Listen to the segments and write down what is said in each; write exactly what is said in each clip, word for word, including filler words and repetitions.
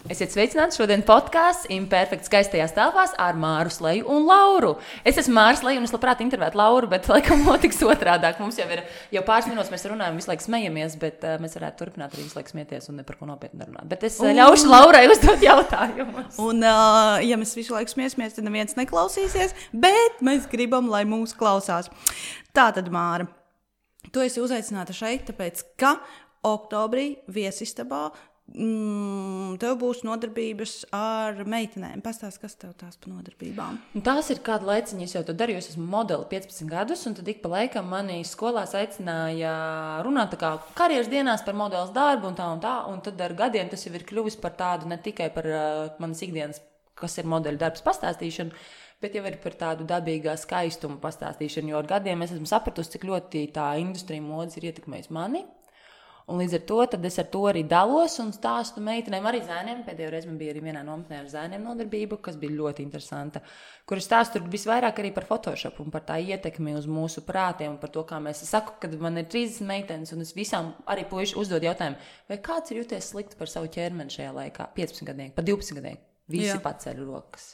Esiet sveicināti šodien podkāsts Imperfekts skaistajās telpās ar Māru Sleju un Lauru. Es esmu Māra Sleja un es labprāt intervētu Lauru, bet laikam notiks otrādāk. Mums jau ir jau pāris minūtes, mēs runājam, visu laiku smejamies, bet uh, mēs varētu turpināt arī visu laiku smieties un ne par ko nopietni runāt. Bet es uh, ļaušu Laurai uzdot jautājumus. Un, uh, ja mēs visu laiku smiesimies, tad neviens neklausīsies, bet mēs gribam, lai mūs klausās. Tātad, Māra, tu esi uzaicināta šeit, tāpēc, ka oktobrī viesistabā Mm, tev būs nodarbības ar meitenēm. Pastāst, kas tev tās pa nodarbībām? Tās ir kādu laiciņu, es jau to darīju, es esmu modeli piecpadsmit gadus, un tad ik pa laikam mani skolās aicināja runāt tā kā karjeras dienās par modeles darbu un tā un tā, un tad ar gadiem tas jau ir kļuvis par tādu ne tikai par uh, manas ikdienas, kas ir modeļu darbs pastāstīšanu, bet jau ir par tādu dabīgā skaistumu pastāstīšanu, jo ar gadiem es esmu sapratusi, cik ļoti tā industrija modes ir ietekmējusi mani. Un līdz ar to tad es ar to arī dalos un stāstu meitenēm, arī zēniem. Pēdējo reizi man bija arī vienā nometnē ar zēniem nodarbību, kas bija ļoti interesanta, kur es stāstu visvairāk arī par Photoshop un par tā ietekmi uz mūsu prātiem un par to, kā mēs, es saku, kad man ir trīsdesmit meitenes un es visām arī puiši uzdod jautājumu, vai kāds ir jūties slikti par savu ķermeni šajā laikā, piecpadsmit gadnieki, pa divpadsmit gadnieki, visi Jā. Paceļ rokas.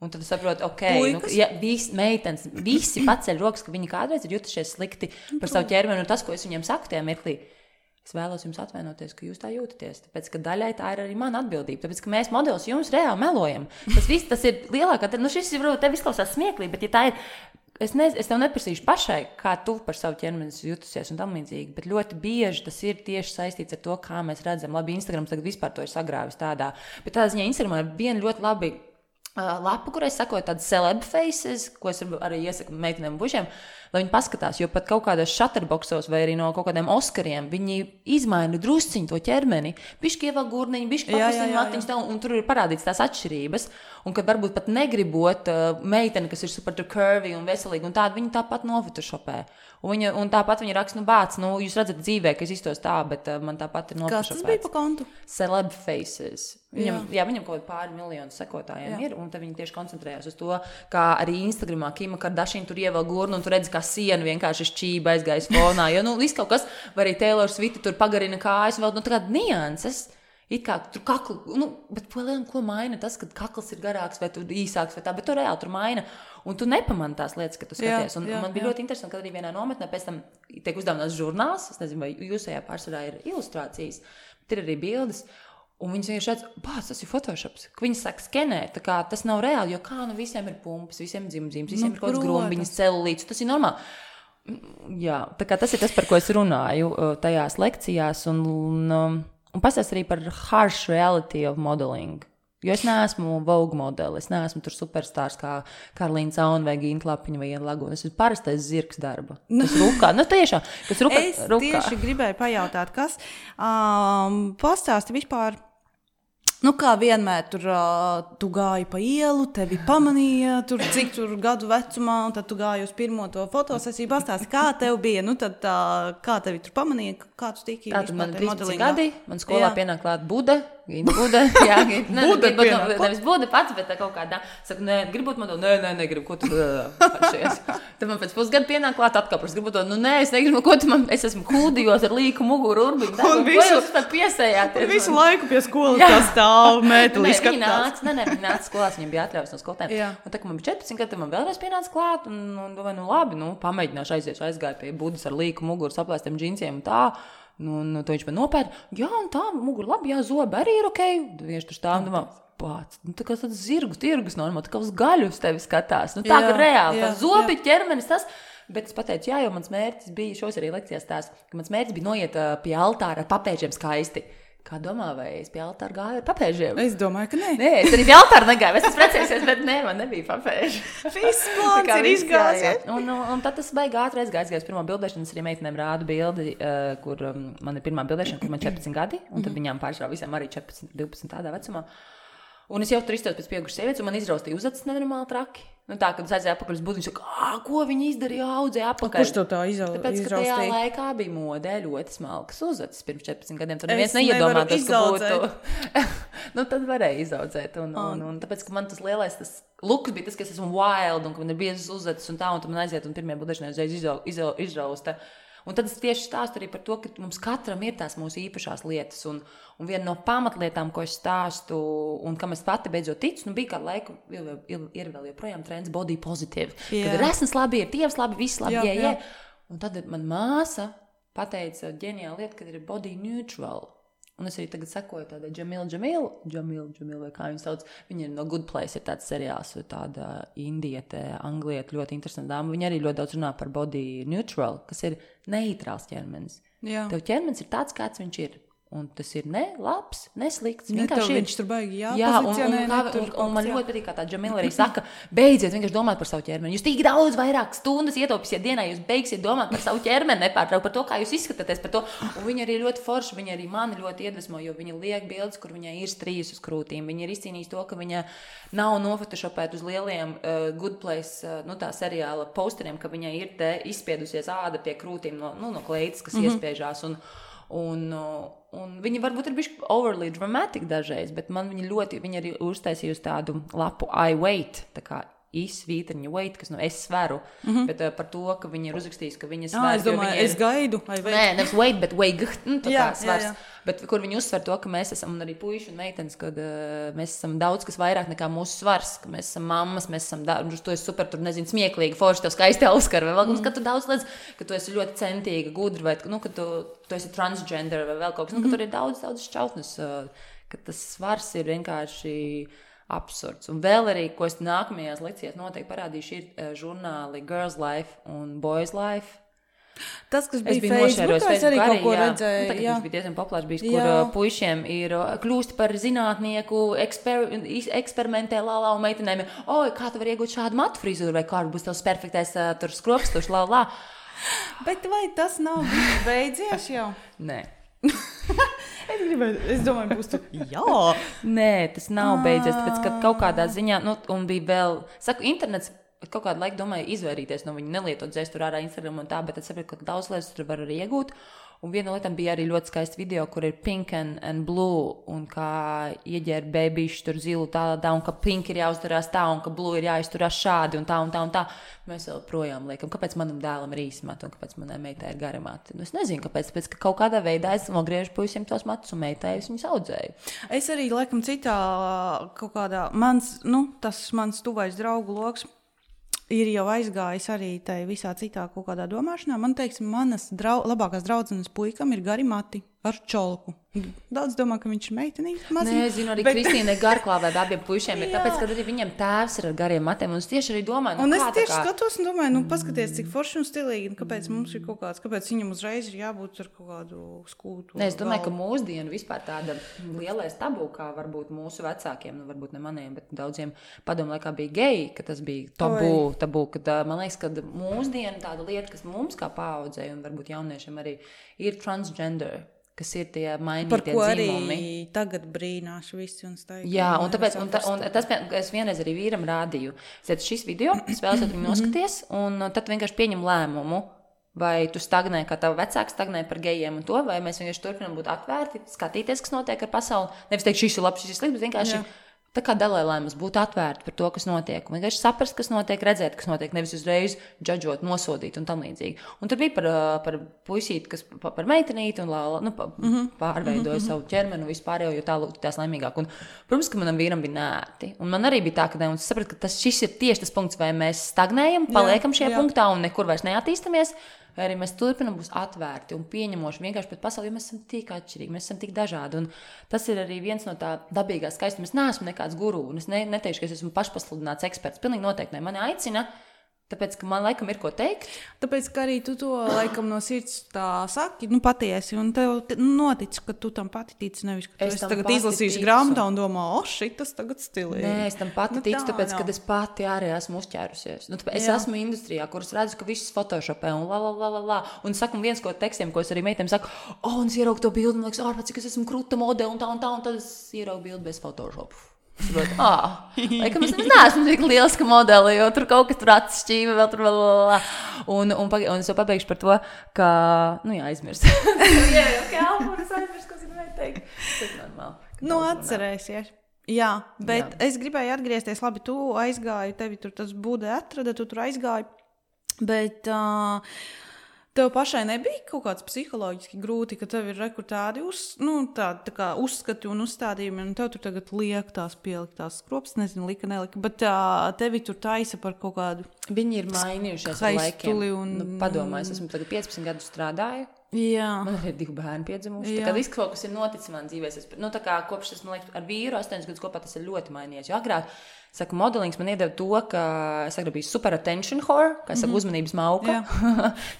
Un tad es saprotu, ok, nu, ja, visi meitenes, visi paceļ rokas, ka viņi kādreiz ir jutušies slikti par savu ķermeni un tas, ko es viņiem saku tajā mirklī, es vēlos jums atvainoties, ka jūs tā jūtaties, tāpēc, ka daļai tā ir arī mana atbildība, tāpēc, ka mēs modelis jums reāli melojam. Tas viss, tas ir lielākā, nu šis ir, varbūt, tev izklausās smieklīgi, bet ja tā ir, es, ne, es tev neprasīšu pašai, kā tu par savu ķermeni jutusies un tam līdzīgi, bet ļoti bieži tas ir tieši saistīts ar to, kā mēs redzam. Labi, Instagrams tagad vispār to ir sagrāvis tādā, bet tādā ziņā Instagramā ir viena ļoti labi uh, lapa, kurai sakoja tādas celeb faces, ko es arī iesaku meitenēm un bušiem, lai viņi paskatās, jo pat kaut kādos shutterboxos vai arī no kaut kādiem Oskariem viņi izmaina drusciņu to ķermeni, bišķi ievēl gurniņu, bišķi pakustīņu matiņus tā, un, un tur ir parādīts tās atšķirības, un kad varbūt pat negribot uh, meiteni, kas ir super curvy un veselīga un tāda, viņi tāpat nofotošopē. Un, viņa, un tāpat viņa raksta, nu bāc, nu jūs redzat dzīvē, ka es iztos tā, bet uh, man tāpat ir nofotošopēts. Kas tas bija pa kontu? Celeb faces. Viņam, jā. jā, viņam kaut pāri miljonu sekotājiem jā. Ir, un tad viņi tieši koncentrējās uz to, kā arī Instagramā Kima Kardashian tur ievēl gurnu, un tur redz, kā siena vienkārši šķība aizgājas fonā, jo, nu, viss kaut kas, vai arī Taylor Swift tur pagarina kājas, vēl, nu, tā kā nianses, it kā tur kaklu, nu, bet ko maina tas, kad kakls ir garāks vai tur īsāks vai tā, bet tu reāli tur maina, un tu nepamani tās lietas, ka tu skaties, jā, un, jā, un man bija jā. Ļoti interesanti, kad arī vienā nometnē pēc tam tiek uzdāvināts žurnāls, es nezinu, vai jūsējā pārsvarā ir ilustrācijas, bet ir arī bildes, un viņas vienkārši redz, bāc, tas ir Photoshops, ka viņas sāk skenēt, tā kā tas nav reāli, jo kā, nu, visiem ir pumpas, visiem ir dzimzīmes, visiem nu, ir kaut kāds grumbiņas, celulīts, tas ir normāli. Jā, tā kā tas ir tas, par ko es runāju tajās lekcijās, un, un, un pastāst arī par harsh reality of modeling. Jo es neesmu Vogue modeli, es neesmu tur superstārs kā Karlīna Cauna vai Gīna Klapiņa vai Iena Laguna. Es esmu parastais zirgs darba. Tas rukā, nu tiešām, kas rukā. Es rukā. Tieši gribēju pajautāt, kas um, pastāsti vispār, nu kā vienmēr tur uh, tu gāji pa ielu, tevi pamanīja, tur cik tur gadu vecumā, un tad tu gāji uz pirmo to fotosesiju, pastāsti, kā tev bija, nu tad uh, kā tevi tur pamanīja, kā tu tiki vispār te modelingā? Tātad man trīsdesmit gadi, man skolā pienāk klāt Buda, Gīna Buda, jā, Gīna, Buda ne, ne, nevis Buda pats, bet kaut kādā, saku, nē, gribu būt modeli, nē, nē, negribu, ko tu atšies. Tad man pēc pusgada pienāk klāt atkāpras, gribu to, nu nē, es negribu, ko tu man, es esmu kūdījos ar līku muguru urbiņu, tā, ko jūs tā piesējāties? Visu laiku pie skolas tā stāv, mēteli skatās. Viņi nāca, nē, nē, viņi nāca skolās, viņiem bija atļaujas no skolotēm. Un tā, ka man bija četrpadsmit gadi, tad man vēlreiz pienāca klāt, un, un domāju, nu labi, nu, pamēģināšu aizies, aizgāju pie Budas ar līku muguru, saplēstiem džinsiem un tā. Nu, un to viņš man nopēta, jā, un tā, muguru labi, jā, zobi arī ir okei. Viņš tur stāv un domā, pāc, nu tā kā tāds zirgu tirgus normāli, tā kā uz gaļu uz tevi skatās. Nu tā, jā, ka reāli, tā zobi, ķermenis tas. Bet es pateicu, jā, jo mans mērķis bija, šos arī lekcijās tās, ka mans mērķis bija noiet uh, pie altāra ar papēžiem skaisti. Kā domā, vai es pie altāra gāju ar papēžiem? Es domāju, ka nē. Nē, es arī pie altāra negāju, es esmu precējusies, bet nē, man nebija papēži. Viss plāns ir izgājies. Un, un, un tad tas baigi ātri aizgājis, gājis pirmo bildēšanu, es arī meitenēm rādu bildi, uh, kur um, man ir pirmā bildēšana, kur man četrpadsmit gadi, un tad viņām pārsvarā visiem arī četrpadsmit, divpadsmit tādā vecumā. Un es jau tur izstāstu pēc pieaugušas sievietes, un man izraustīja uzacis nenormāli traki. Nu tā, kad es aizēju apakaļ uz Budu, viņš saka, ā, ko viņi izdarīja, audzēja apakaļ. Kurš tev tā izraustīja? Tāpēc, ka tajā laikā bija modē ļoti smalkas uzacis pirms četrpadsmit gadiem. Tad neviens neiedomātos, ka būtu. Nu, tad varēja izaudzēt. Un, un, un tāpēc, ka man tas lielais, tas luks bija tas, ka es esmu wild, un ka man ir biezas uzacis un tā, un tad man aiziet, un pirmie budēšanai uzreiz izrausta. Un tad es tieši stāstu arī par to, ka mums katram ir tās mūsu īpašās lietas. Un, un viena no pamatlietām, ko es stāstu, un kam es pati beidzot ticu, nu bija kādu laiku, ir, ir, ir vēl joprojām trends body positive. Yeah. Kad ir esmas labi, ir tievs labi, viss labi, jā, jā. Un tad man māsa pateica ģeniālu lietu, kad ir body neutral. Un es arī tagad sekoju tādai Jamil Jamil, Jamil Jamil, vai kā viņu sauc, viņa ir no Good Place, ir tāds seriāls, tāda indiete, anglieta, ļoti interesanta dāma. Viņa arī ļoti daudz runā par body neutral, kas ir neitrāls ķermenis. Jā. Tev ķermenis ir tāds, kāds viņš ir. Un tas ir ne labs, ne slikts. Ne, tev viņš tur baigi jāpozicionē. Jā, un, un, un, un man ļoti patīk, kā tā Jamila arī saka, beidziet vienkārši domāt par savu ķermeni. Jūs tik daudz vairāk stundas ietaupīsiet dienā, jūs beigsiet domāt par savu ķermeni, nepārtraukt par to, kā jūs izskatāties par to. Un viņa arī ļoti forša, viņa arī mani ļoti iedvesmo, jo viņa liek bildes, kur viņai ir strījas uz krūtīm. Viņa ir izcīnījis to, ka viņa nav nofotošopēt uz lieliem uh, Good Place, uh, nu tā seriāla posteriem, ka viņai ir te izspiedusies āda pie krūtīm no, nu, no kleitas, kas mm-hmm. iespiežās. Un, Un, un viņi varbūt ir bijuši overly dramatic dažreiz, bet man viņi ļoti, viņi arī uztaisījusi tādu lapu I wait, tā kā izsvītriņa wait, kas no es sveru, mm-hmm. bet uh, par to, ka viņi ir uzrakstījis, ka viņa sver. Jā, es domāju, ir... es gaidu. Nē, nevis wait, bet wait, nu, tā jā, kā svars. Jā, jā. Bet kur viņi uzsver to, ka mēs esam, un arī puiši un meitenes, kad uh, mēs esam daudz kas vairāk nekā mūsu svars, ka mēs esam mammas, mēs esam, da... to es super, tur nezinu, smieklīgi, forši tev skaisti auskar, vai vēl, mm. ka tu daudz liedz, ka tu esi ļoti centīga, gudra, vai, nu, ka tu, tu esi transgender, vai vēl kaut kas, mm-hmm. nu, ka tur ir daudz, daudz šķautnes, uh, ka tas svars ir vienkārši absurds. Un vēl arī, ko es nākamajās lekcijās noteikti parādīšu, ir uh, žurnāli Girls Life un Boys Life. Tas, kas bija Facebookā, es arī kaut ko jā. redzēju. Nu, tagad viņš bija diezgan populārs, bijis, kur jā. puišiem ir kļūst par zinātnieku, eksper, eksperimentē lālā un meitenēm. Oi, kā tu var iegūt šādu matu frizūru, vai kā būs tavs perfektais uh, tur skropstuši, lālā. Bet vai tas nav beidzies jau? Nē. es, gribēju, es domāju, būs tu, jā. Nē, tas nav beidzies, tāpēc, ka kaut kādā ziņā, nu, un bija vēl, saku, internets, kaut kādu laiku domāju izvairīties no viņa, nelietot dzēst tur ārā Instagram un tā, bet es saprotu, ka daudz lietas tur var arī iegūt. Un viena lieta bija arī ļoti skaists video, kur ir pink and, and blue, un kā ieģēra bēbīši tur zilu tādā, un ka pink ir jāuzturās tā, un ka blue ir jāizturās šādi, un tā, un tā, un tā. Mēs vēl projām liekam, kāpēc manam dēlam ir īsi mati, un kāpēc manai meitai ir gari mati. Nu, es nezinu, kāpēc, tāpēc, ka kaut kādā veidā es nogriežu puisiem tos matus, un meitai es viņus audzēju. Es arī, laikam, citā kaut kādā, mans, nu, tas mans tuvais draugu loks, ir jau aizgājis arī tai visā citā kaut kādā domāšanā. Man teiksim, manas drau, labākās draudzenes puikam ir gari mati ar čolku. Daudz domā, ka viņš ir meitenīgs. Nē, es zinu, arī bet... Kristīne garklāvē abiem puišiem ir, tāpēc, ka arī viņiem tēvs ir ar gariem matiem. Un es tieši arī domāju, nu, un es kā tieši kā... skatos un domāju, nu, paskaties, cik forši un stilīgi, un kāpēc mums ir kaut kāds, kāpēc viņam uzreiz ir jābūt ar kaut kādu skūtu. Nē, es domāju, galvu. Ka mūsdienu vispār tāda lielais tabū, kā varbūt mūsu vecākiem, nu, varbūt ne maniem, bet daudziem padomu laikā bija geji, ka tas bija tabū, tabū, kad man liekas, ka mūsdienu tāda lieta, kas mums kā paaudzēja, un varbūt jauniešiem arī ir transgender, kas ir tie mainītie dzīvumi. Par ko arī tagad brīnās visi un staigā. Jā, un tāpēc, un, ta, un tas, es vienreiz arī vīram rādīju, es šis video, es vēlos viņu noskaties, un tad vienkārši pieņem lēmumu, vai tu stagnē, kā tavu vecāku stagnē par gejiem un to, vai mēs vienkārši turpinām būt atvērti, skatīties, kas notiek ar pasauli. Nevis teikt, šis ir labs, šis ir slikts, bet vienkārši... Jā. Tā kā dalēlēmas būtu atvērti par to, kas notiek. Un vienkārši saprast, kas notiek, redzēt, kas notiek, nevis uzreiz džadžot, nosodīt un tam līdzīgi. Un tur bija par, par puisīti, kas par meitenīti un lāla, nu, mm-hmm. pārveidoja mm-hmm. savu ķermeni un vispārējo, jo tā tās laimīgāk. Un, protams, ka manam vīram bija nērti. Un man arī bija tā, ka ne, un es sapratu, ka tas, šis ir tieši tas punkts, vai mēs stagnējam, paliekam šajā jā. punktā un nekur vairs neattīstamies, vai arī mēs turpinām būt atvērti un pieņemoši vienkārši pret pasauli, jo mēs esam tik atšķirīgi, mēs esam tik dažādi. Un tas ir arī viens no tā dabīgā skaistuma. Es neesmu nekāds guru, un es ne, neteikšu, ka es esmu pašpasludināts eksperts. Pilnīgi noteikti ne. Mani aicina, tāpēc, ka man laikam ir ko teikt. Tāpēc, ka arī tu to laikam no sirds tā saki, nu patiesi, un tev notic, ka tu tam pati tici, nevis, ka tu es esi tagad izlasījusi grāmatā un domā, o, šitas tagad stilīgi. Nē, es tam pati nu, ticu, tāpēc, ka es pati arī esmu uzķērusies. Nu, tāpēc, es esmu industrijā, kuras redzu, ka viss photoshopē un la, la, la, la, la. Un saku viens, ko tekstiem, ko es arī meitēm saku, o, un es ieraugu to bildi, un liekas, ārpēc, cik es esmu kruta modeli un tā un tā, un tad es ieraugu bildi bez photoshopu. Saprot, ah, laikam es neesmu tik lieliska modeli, jo tur kaut kas tur atšķīva, vēl tur vēl, vēl, vēl. Un, un, un es jau pabeigšu par to, ka, nu jā, aizmirst. jā, jau kā alburis aizmirst, ko es gribēju teikt. Tas ir normāli. Nu, atcerēsies. Jā, bet jā. Es gribēju atgriezties, labi, tu aizgāji, tevi tur tas būdē atrada, tu tur aizgāji, bet... Uh, Tev pašai nebija kaut kāds psiholoģiski grūti, ka tev ir rekurtādi uz, nu, tā, tā kā uzskati un uzstādījumi, un tev tur tagad liek tās pieliktās skrops, nezinu, lika, nelika, bet tā, tevi tur taisa par kaut kādu... Viņi ir mainījušies ar laikiem. Un... Nu, padomā, es esmu tagad piecpadsmit gadus strādāju. Jā. Man ir divi bērni piedzimuši. Tā kā viss kaut kas ir noticis man dzīvēs. Es, nu, tā kā kopš es, man liekas, ar vīru astoņus gadus kopā tas ir ļoti mainījies. Jo agrāk, saku, modelings man iedeva to, ka es agrāk biju super attention whore, kā es saku, mm-hmm. uzmanības mauka.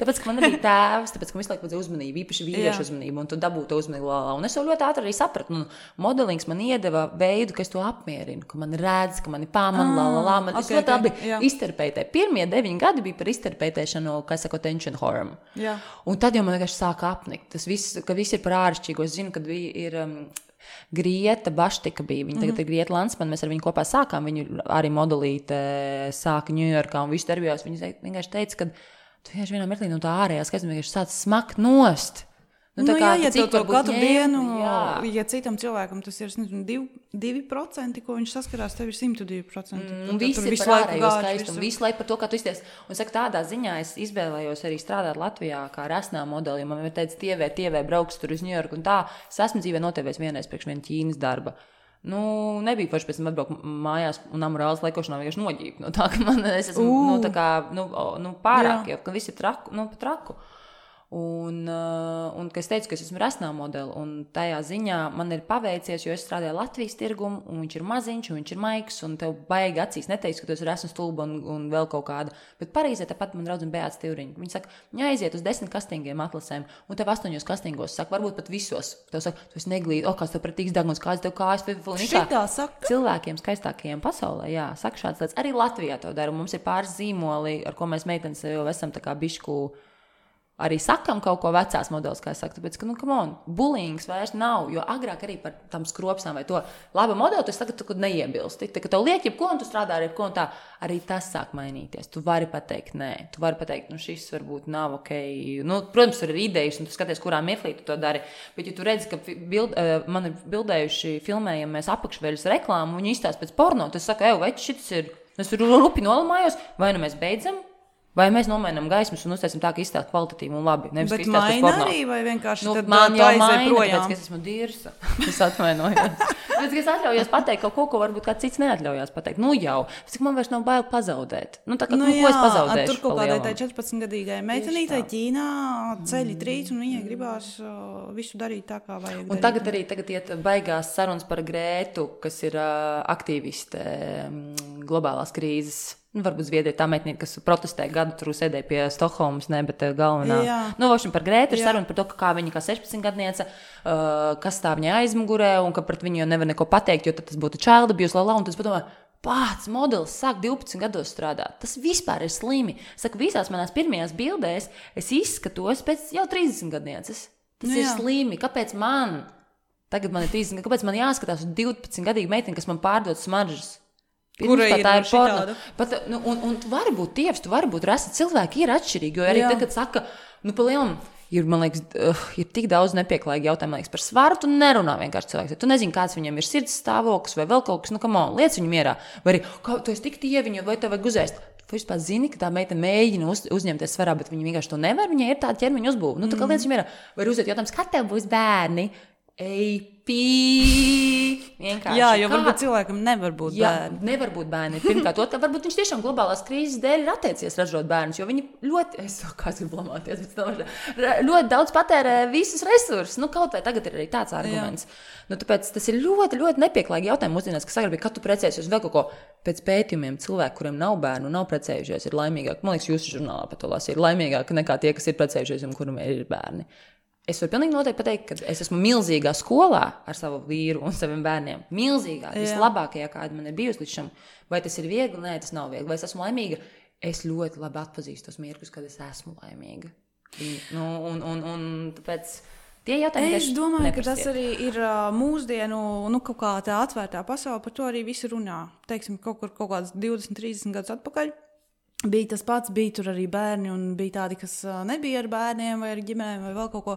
Tāpēc, ka man nebija tēvs, tāpēc, ka visu laiku vajadzēja uzmanību, īpaši vīriešu uzmanību, un tu dabūtu uzmanību. Lā, lā. Un es jau ļoti ātri arī sapratu. Nu, modelings man iedeva veidu, ka es to apmierinu, ka man redz, ka mani pāman, lā, lā, lā. Man okay, es ļoti labi okay, izterpētē. Pirmie deviņi gadi bija par izterpētēšanu, kā es saku, attention whore. Un tad jau man vienkārši sāka apnikt. Tas viss, ka viss ir par āršķirīgu. Es zinu, kad bija ir... Um, Grieta Baštika bija, viņa tagad mm-hmm. ir Grieta Lansman, mēs ar viņu kopā sākām, viņu arī modelīte sāka Ņujorkā un visu darbījās. Viņa vienkārši teica, ka tu vienkārši vienā mirklī no tā ārējās, ka es vienkārši sāc smakt nost. Nu, nu, kā, jā, ja tev to katru ņēma, dienu, jā. Ja citam cilvēkam tas ir nezinu, divi, divi procenti, ko viņš saskarās, tev ir simt divi procenti. Mm, un viss ir par ārējo skaistumu, visu laiku par to, kā tu izties. Un saka, tādā ziņā es izvēlējos arī strādāt Latvijā kā resnā modeli, jo man ir teicis, tievē, tievē brauks tur uz Ņujorku un tā. Es esmu dzīvē notevēs vienreiz priekš viena Ķīnas darba. Nu, nebija forši pēc tam atbraukt mājās un amorāls laikošanā vienkārši noģībt. No tā, ka man, es esmu, uh. nu, tā kā, nu, nu pārāk, jau, ka viss ir traku, nu, pa traku. Un, uh, un ka es teicu, ka es esmu resnā modeli, un tajā ziņā man ir paveicies, jo es strādāju Latvijas tirgumu, un viņš ir maziņš, un viņš ir maigs, un tev baigi acīs neteiks, ka tu esi resna stulba un, un vēl kaut kāda. Bet Parīzē tāpat man draudzene Beāta Stivriņa. Viņa saka, viņa aiziet uz desmit kastingiem atlasēm, un tev astoņos kastingos saka, varbūt pat visos. Tev saka, tu esi neglīti, o, kāds tev pretīgs daguns, kāds tev kājas, šitā saka. Cilvēkiem skaistākajiem pasaulē, jā, saka šāds lietas. Arī Latvijā to dara, un mums ir pāris zīmoli, ar ko mēs meitenes jau esam tā kā bišku arī sakam kaut ko vecās modelis, kā es saku, tāpēc, ka, nu, come on, bullyings vairs nav, jo agrāk arī par tam skropsām vai to laba modeli, tu tagad tu neiebilsti. Tā, ka tev liek jebko, un tu strādā ar jebko, un tā arī tas sāk mainīties. Tu vari pateikt, nē, tu vari pateikt, nu, šis varbūt nav ok. Nu, protams, tur ir idejas, un tu skaties, kurā mirklī tu to dari, bet, ja tu redzi, ka bild, man ir bildējuši, filmējam mēs apakšveļas reklāmu, un viņi izstāsta pēc porno, tas saka, ej, vai šis ir, es tur rupi nolamājos, vai nu mēs beidzam, vai mēs nomainām gaismas un uztaisim tā, ka izstāst kvalitatīvi un labi. Nevis, bet maina arī, vai vienkārši nu, tad man jau maina, projām. Tāpēc, ka es esmu dirsa. Es atvainojos. Tāpēc, ka es atļaujos pateikt kaut ko, ko varbūt kāds cits neatļaujās pateikt. Nu jau, cik man vairs nav bail pazaudēt. Nu tā kā, nu, nu, jā, ko es pazaudēšu? Tur kaut kādai tai četrpadsmitgadīgai meitenītai Ķīnā ceļi trīc, un viņai gribās uh, visu darīt tā, kā vajag. Un darīt. Tagad arī tagad iet baigās sarunas par Grētu, kas ir uh, aktīviste um, globālās krīzes. Nu, varbūt Zviedrija tā meitnīte, kas protestē gadu tur sēdēja pie Stokholmas, ne, bet galvenā. Jā. Nu, vošam par Grētu ir saruna par to, kā viņa kā sešpadsmitgadniece, uh, kas stāv viņai aizmugurē un ka pret viņu jau nevar neko pateikt, jo tad tas būtu child abuse, lala, un tas padomā, pats modelis sāk divpadsmit gados strādāt. Tas vispār ir slimi. Saku, visās manās pirmajās bildēs es izskatos pēc jau trīsdesmitgadnieces. Tas nu, ir slimi. Kāpēc man? Tagad man ir trīsdesmit, kāpēc man jāskatās uz divpadsmitgadīgu meiteni, kas man pārdod smaržas? Kura ir tā ir porno. Pat, nu, un, un tu vari būt tievs, tu vari būt rasa. Cilvēki ir atšķirīgi, jo arī jā. Tagad saka, nu, pa lielam, ir, man liekas, uh, ir tik daudz nepieklājīgi jautājumi, man liekas, par svaru, tu nerunā vienkārši cilvēks. Tu nezini, kāds viņam ir sirds stāvoklis vai vēl kaut kas, nu, come on, liec viņu mierā. Vai arī, kā, tu esi tik tieviņu, vai tev vajag uzēst. Tu vispār zini, ka tā meita mēģina uz, uzņemties svarā, bet viņa vienkārši to nevar, viņai ir tāda ķermeņa uzbūve. Nu, tā kā liec viņu mierā. Vai arī uzēt jautājums, kad tev būs bērni? Ej, pī! Vienkārši. Jā, jo kā? Varbūt cilvēkam nevar būt jā, bērni. Nevar būt bērni. Pirmkārt, otrā, varbūt viņš tiešām globālās krīzes dēļ ir atteicies ražot bērnus, jo viņi ļoti, es saku, kāds ir blamāties, bet tomēr, ļoti daudz patērē visus resursus. Nu, kaut vai tagad ir arī tāds arguments. Jā. Nu, tāpēc tas ir ļoti, ļoti nepieklājīgi jautājumi mūsdienās, kas agrāk bija, kad tu precējies uz vēl kaut ko. Pēc pētījumiem cilvēki, kuriem nav bērnu, nav precējušies, ir laimīgāki. Man liekas, jūsu žurnālā par to lasīju, ir laimīgāki nekā tie, kas ir precējušies un kuriem ir bērni. Es varu pilnīgi noteikti pateikt, ka es esmu milzīgā skolā ar savu vīru un saviem bērniem. Milzīgā, jā. Vislabākajā, kāda man ir bijusi līdz šim. Vai tas ir viegli? Nē, tas nav viegli. Vai es esmu laimīga? Es ļoti labi atpazīstu tos mirkļus, kad es esmu laimīga. Nu, un, un, un tāpēc tie jautājumi es domāju, neprasiet. Ka tas arī ir mūsdienu, nu, kaut kā tā atvērtā pasaule, par to arī visi runā. Teiksim, kaut kur kaut kāds divdesmit, trīsdesmit gadus atpakaļ. Bija tas pats, bija tur arī bērni, un bija tādi, kas nebija ar bērniem vai ar ģimenēm vai vēl kaut ko.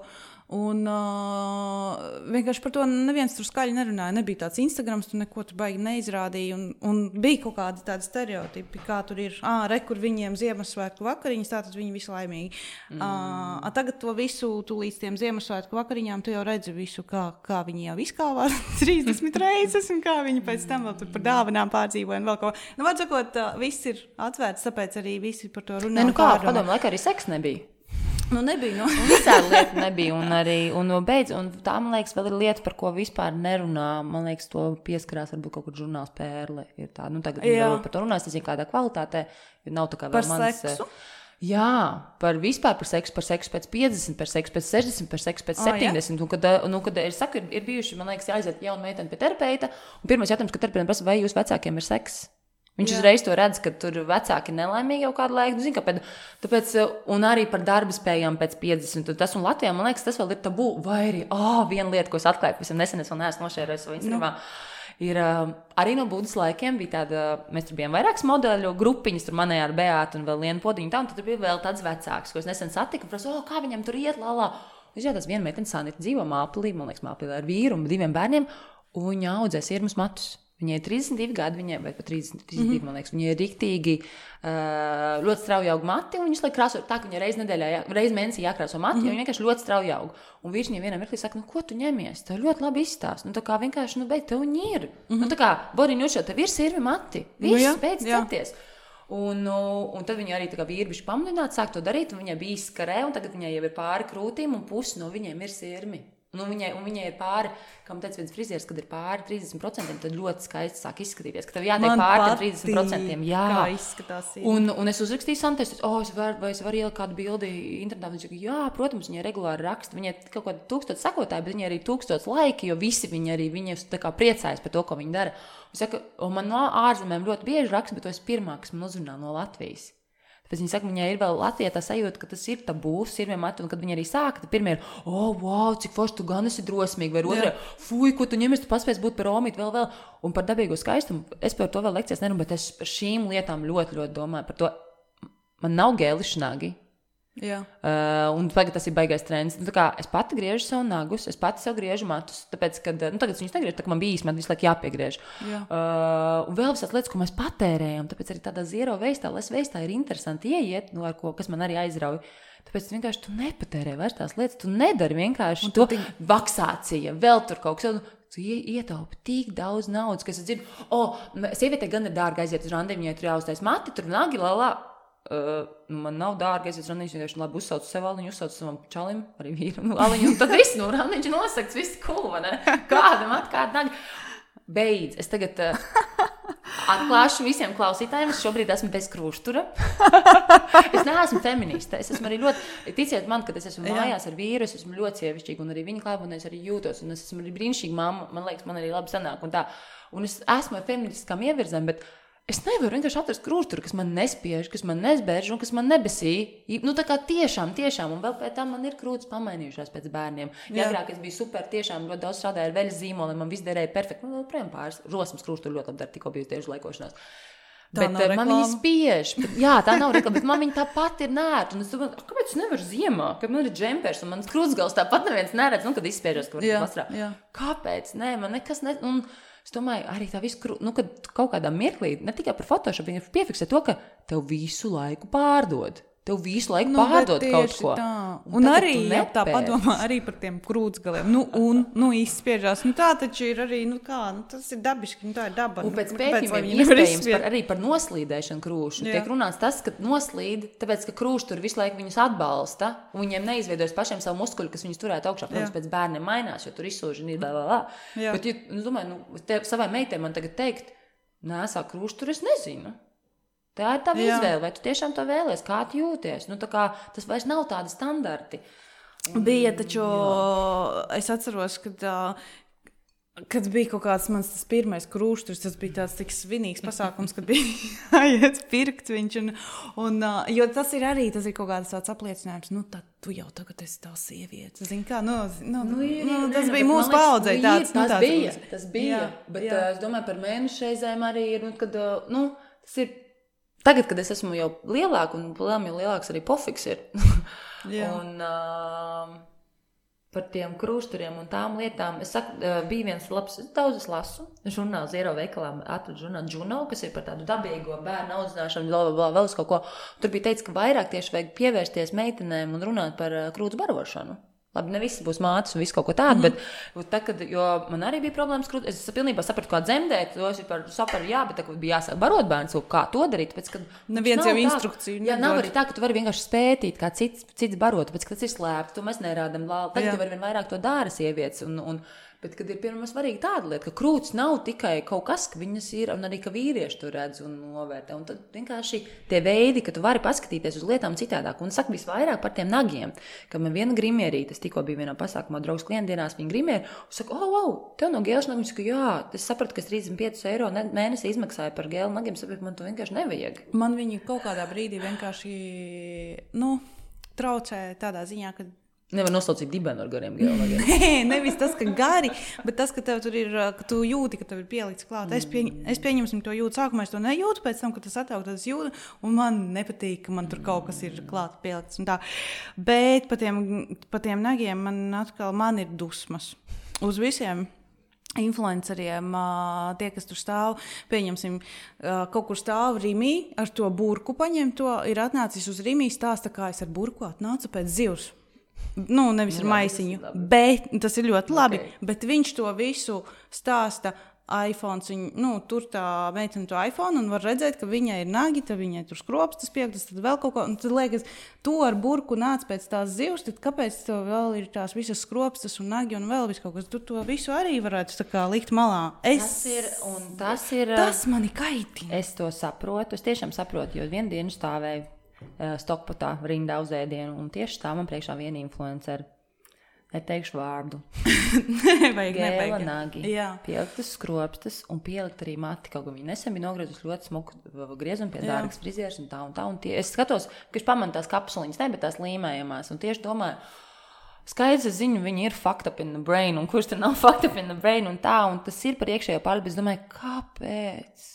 Un uh, vienkārši par to neviens tur skaļi nerunāja. Nebija tāds Instagrams, tu neko tur baigi neizrādīja. Un, un bija kaut kādi tādi stereotipi, kā tur ir, ah, re, kur viņiem Ziemassvētku vakariņas, tātad viņi visi laimīgi. Mm. Uh, tagad to visu, tu līdz tiem Ziemassvētku vakariņām, tu jau redzi visu, kā, kā viņi jau izkāvā trīsdesmit reizes, un kā viņi pēc tam vēl tur par dāvanām pārdzīvoja un vēl ko. Nu, var sakot, uh, viss ir atvērts, tāpēc arī visi par to runā. Ne, nu kā, padomu laikā arī seks nebija. Nu, nebija. Nu. Visādi lieta nebija. Un, arī, un, beidz, un tā, man liekas, vēl ir lieta, par ko vispār nerunā. Man liekas, to pieskarās varbūt kaut kur žurnāls Pērle. Ir tā, nu, tagad vēl par to runās, tas ir kādā kvalitātē. Nav tā kā vēl par mans... seksu? Jā, par vispār par seksu, par seksu pēc piecdesmit, par seksu pēc sešdesmit, par seksu pēc septiņdesmit. Oh, un, kad, nu, kad es saku, ir, ir bijuši, man liekas, jāaiziet jauna meitene pie terapeita. Un pirmais jautājums, ka terapeitam prasa, vai jūs vecākiem ir seks? Viņš Jā. uzreiz to redz, ka tur vecāki nelaimīgi jau kādu laiku. Nu, zin, kāpēc, tāpēc, un arī par darba spējām pēc piecdesmit. Un tas un Latvijā, man liekas, tas vēl ir tabū. Vai arī, oh, viena lieta, ko es atklāju, pavisam nesen es vēl neesmu nošērējis savu Instagramā. Nu. Ir uh, arī no Budas laikiem bija tāda, mēs tur bijām vairākas modeļu grupiņas, tur manējā ar Beātu un vēl Lienu Podiņu tā, un tur bija vēl tāds vecāks, ko es nesen satiku, un prasu, oh, kā viņam tur iet, lā, lā. Es jau tās viena meitene Sanita dzīvo Māplī, man liekas, Māplī ar vīru un diviem bērniem, un viņa audzē sirmas matus. Viņai ir trīsdesmit divi gadi, viņai, vai pat trīsdesmit, trīsdesmit divi, mm-hmm. man liekas, viņai ir riktīgi uh, ļoti strauji aug mati, un viņš liek krāsot tā, ka viņai reiz nedēļā, jā, reiz mēnesī jākrāso mati, mm-hmm. jo viņa vienkārši ļoti strauji aug. Un vīrs viņai vienā mirklī saka, nu, ko tu ņemies? Tev ļoti labi izstāst. Nu, tā kā vienkārši, nu, beidz, tev viņi ir. Mm-hmm. Nu, tā kā, Boriņušo, tev ir sirvi mati. Viss, nu, jā, beidz cepties. Un, un tad viņa arī tā kā vīri bišķi pamudināti sāk to darīt, un viņai bija izskarē, un tagad viņai jau ir pāri krūtīm, un pusi no viņiem ir sirmi. Nu, viņai, un viņai ir pāri, kā man teica viens frizieris, kad ir pāri trīsdesmit procenti, tad ļoti skaisti sāk izskatīties, ka tev jātiek pāri tam trīsdesmit procentiem. Jā, kā izskatās. Jā. Un, un es uzrakstīju Santai, oh, es varu, vai es varu ielikt kādu bildi internetā. Viņa saka, jā, protams, viņa regulāri raksta. Viņai kaut kādi tūkstoši sekotāji, bet viņai arī tūkstoši laiki, jo visi viņi arī viņi tā kā priecājas par to, ko viņi dara. Un saka, un man no ārzemēm ļoti bieži raksta, bet tu esi pirmā, kas man uzrunā no Latvijas. Pēc viņa saka, viņai ir vēl Latvijā tā sajūta, ka tas ir tabūs, ir vienmēr, un kad viņi arī sāka, tad pirmie ir, oh, wow, cik forši tu gan esi drosmīgi, vai otrē, fuj, ko tu ņemies, tu paspēs būt par omīti, vēl, vēl, un par dabīgo skaistumu. Es par to vēl lekcijas nerunāju, bet es par šīm lietām ļoti, ļoti domāju, par to, man nav gēliši nagi. Jā. Uh, un tagad tas ir baigais trends. Nu, tā kā es pati griežu savu nagus, es pati sev griežu matus, tāpēc, kad, nu, tagad viņus negriežu, tā kā man bija īsti, man visu laiku jāpiegriež. Jā. Uh, un vēl visās lietas, ko mēs patērējam, tāpēc arī tādā zero veistā, les veistā ir interesanti ieiet, nu, ar ko, kas man arī aizrauj. Tāpēc vienkārši tu nepatērē vairs tās lietas, tu nedari vienkārši un to tik... vaksācija, vēl tur kaut kas, tu ietaupi tik daudz naudas, kas es dzirdu, o, oh, sievietē gan ir dārga aiziet uz randi, viņai tur jāuztais mati, tur nagi, lalā. Uh, man nav dārgi, es esmu randiņš, vienkārši labi uzsaucu sev aliņu, uzsaucu savam čalim, arī vīram aliņu, un tad viss, nu, randiņš nosakts, viss cool, vai ne? Kāda mat, kāda nagi. Beidz, es tagad uh, atklāšu visiem klausītājiem, es šobrīd esmu bez krūštura. Es neesmu feministe, es esmu arī ļoti, ticiet man, kad es esmu mājās ar vīru, es esmu ļoti sievišķīga, un arī viņa klāba, un es arī jūtos, un es esmu arī brīnišķīga mamma, man liekas, man arī labi sanāk, un tā. Un es esmu ar feministiskām ievirzēm, bet es nevaru vienkārši atrast krūšturu, kas man nespiež, kas man nesbērž un kas man nebesī. Nu, tā kā tiešām, tiešām. Un vēl pēc tam man ir krūtis pamainījušās pēc bērniem. Ja agrāk es biju super, tiešām ļoti daudz strādāju ar veļas zīmoliem, man viss derēja perfekti. Man vēl projām pāris rosmas krūšturu ļoti labi dar, tikko biju tieši laikošanās. Tā bet man viņa spiež. Bet, jā, tā nav reklama, bet man viņa tāpat ir nērta. Un es domāju, kāpēc es nevaru ziemā? Kad man ir džempers un mans krūtsgals tāpat neviens neredz, nu, kad izspiežos, ka var vasarā. Kāpēc? Nē, man nekas ne... Un, es domāju, arī tā visu, nu, kad kaut kādā mirklī, ne tikai par Photoshop, viņi piefiksē to, ka tev visu laiku pārdod. Tev visu laiku nu, pārdod kaut ko. Tā. Un, un arī, ja tā padomā, arī par tiem krūtsgaliem. Nu, un, nu, izspiežās. Nu, tā taču ir arī, nu, kā, nu, tas ir dabiski, nu, tā ir daba. Un pēc pētījumiem iespējams par, arī par noslīdēšanu krūšu. Jā. Tiek runāts tas, ka noslīd, tāpēc, ka krūši tur visu laiku viņus atbalsta, un viņiem neizveidojas pašiem savu muskuļu, kas viņus turētu augšā. Protams, pēc bērniem mainās, jo tur izsūžina ir, lā, lā, lā. Bet, ja, nu, domāju, nu, te, savai meitai man tagad teikt, nēsā krūšu tur es nezinu. Tā ir tava izvēle, vai tu tiešām to vēlies, kā tu jūties. Nu, tā kā tas vairs nav tādi standarti. Un, bija taču, jā. Es atceros, kad, kad bija kaut kāds mans tas pirmais krūšturs, tas bija tāds tik svinīgs pasākums, kad bija jāiet pirkt viņš. Un, un, jo tas ir arī, tas ir kaut kāds tāds apliecinājums, nu tad tu jau tagad esi tā sieviete. Zini kā, nu, nu, nu, ir, nu tas ne, bija mūsu paudzei tāds. Tas nu, tāds, bija, tas bija, jā, bet jā. Es domāju par mēnešu reizēm arī ir, nu, kad, nu, tas ir. Tagad, kad es esmu jau lielāka, un plēm jau lielāks arī pofiks ir. un, uh, par tiem krūšturiem un tām lietām. Es saku, bija viens labs, daudz es lasu, žurnāls Zero veikalā, atradu žurnālu Juno, kas ir par tādu dabīgo bērnu audzināšanu, bla, bla, bla, vēl uz kaut ko. Tur bija teicis, ka vairāk tieši vajag pievērsties meitenēm un runāt par krūts barošanu. Labi, ne visi būs mātes un viss kaut ko tādu, mm. bet tā, kad, jo man arī bija problēmas krūt, es pilnībā sapratu, kā dzemdēt, to es par saparu, jā, bet tā, kad bija jāsāk barot bērns, kā to darīt, pēc, kad neviens jau instrukciju. Jā, nav arī tā, ka tu vari vienkārši spētīt, kā cits, cits barot, pēc, ka tas ir slēpts, to mēs nerādam, tagad tu vari vien vairāk to dāra sievietes, un, un bet, kad ir piemēram svarīgi tāda lieta, ka krūts nav tikai kaut kas, ka viņas ir, un arī, ka vīrieši to redz un novērtē. Un tad vienkārši tie veidi, ka tu vari paskatīties uz lietām citādāk. Un saka visvairāk par tiem nagiem, ka man viena grimierīte, es tikko biju vienā pasākumā, draugs klientdienās, viņa grimieri, un saka, oh, wow, tev no gēles nagiem, ka jā, es sapratu, ka es trīsdesmit piecus eiro mēnesi izmaksāju par gēlu nagiem, sapratu, man to vienkārši nevajag. Man viņi kaut kādā brīdī vienkārši, nu, traucē tādā ziņā, ka nevar noslaucīt dibenu ar gariem gēlnagiem. Nē, nevis tas, ka gari, bet tas, ka tev tur ir, ka tu jūti, ka tev ir pielikts klāt. Es, pieņ, es pieņemsim to jūtu sākumā, es to nejūtu, pēc tam, kad tas ataugt, tas jūtu, un man nepatīk, ka man tur kaut kas ir klāt pielikts un tā. Bet pa tiem, pa tiem nagiem man atkal, man ir dusmas. Uz visiem influenceriem, tie, kas tur stāv, pieņemsim, kaut kur stāv Rimī, ar to burku paņem to, ir atnācis uz Rimī stāsta, kā es ar burku atnācu pēc zivs. Nu, nevis ar maisiņu, bet tas ir ļoti labi, okay. Bet viņš to visu stāsta iPhones, viņu, nu, tur tā meitene to iPhone un var redzēt, ka viņai ir nagi, tad viņai tur skropstas piektas, tad vēl kaut ko, un tad liekas, tu ar burku nāc pēc tās zivs, tad kāpēc tev vēl ir tās visas skropstas un nagi un vēl viss kaut kas, tu to visu arī varētu tā kā likt malā. Es, tas ir, un tas ir, tas mani kaitina. Es to saprotu, es tiešām saprotu, jo vienu dienu stāvēju Stokpotā rindā uz ēdienu, un tieši stāv man priekšā viena influenceri. Neteikšu vārdu. nevajag, Gēla nevajag. nagi, pieliktas skropstas un pielikt arī mati, kaut kā viņi nesen bija nogriezus ļoti smuku griezumu pie dārgas frizieres un tā un tā. Un tie, es skatos, ka es pamanu tās kapsuliņas, ne, bet tās līmējamās, un tieši domāju, skaidrs, es zinu, viņi ir fucked up in the brain, un kurš tur nav fucked up in the brain, un tā, un tas ir par iekšējo pārli, bet es domāju, kāpēc?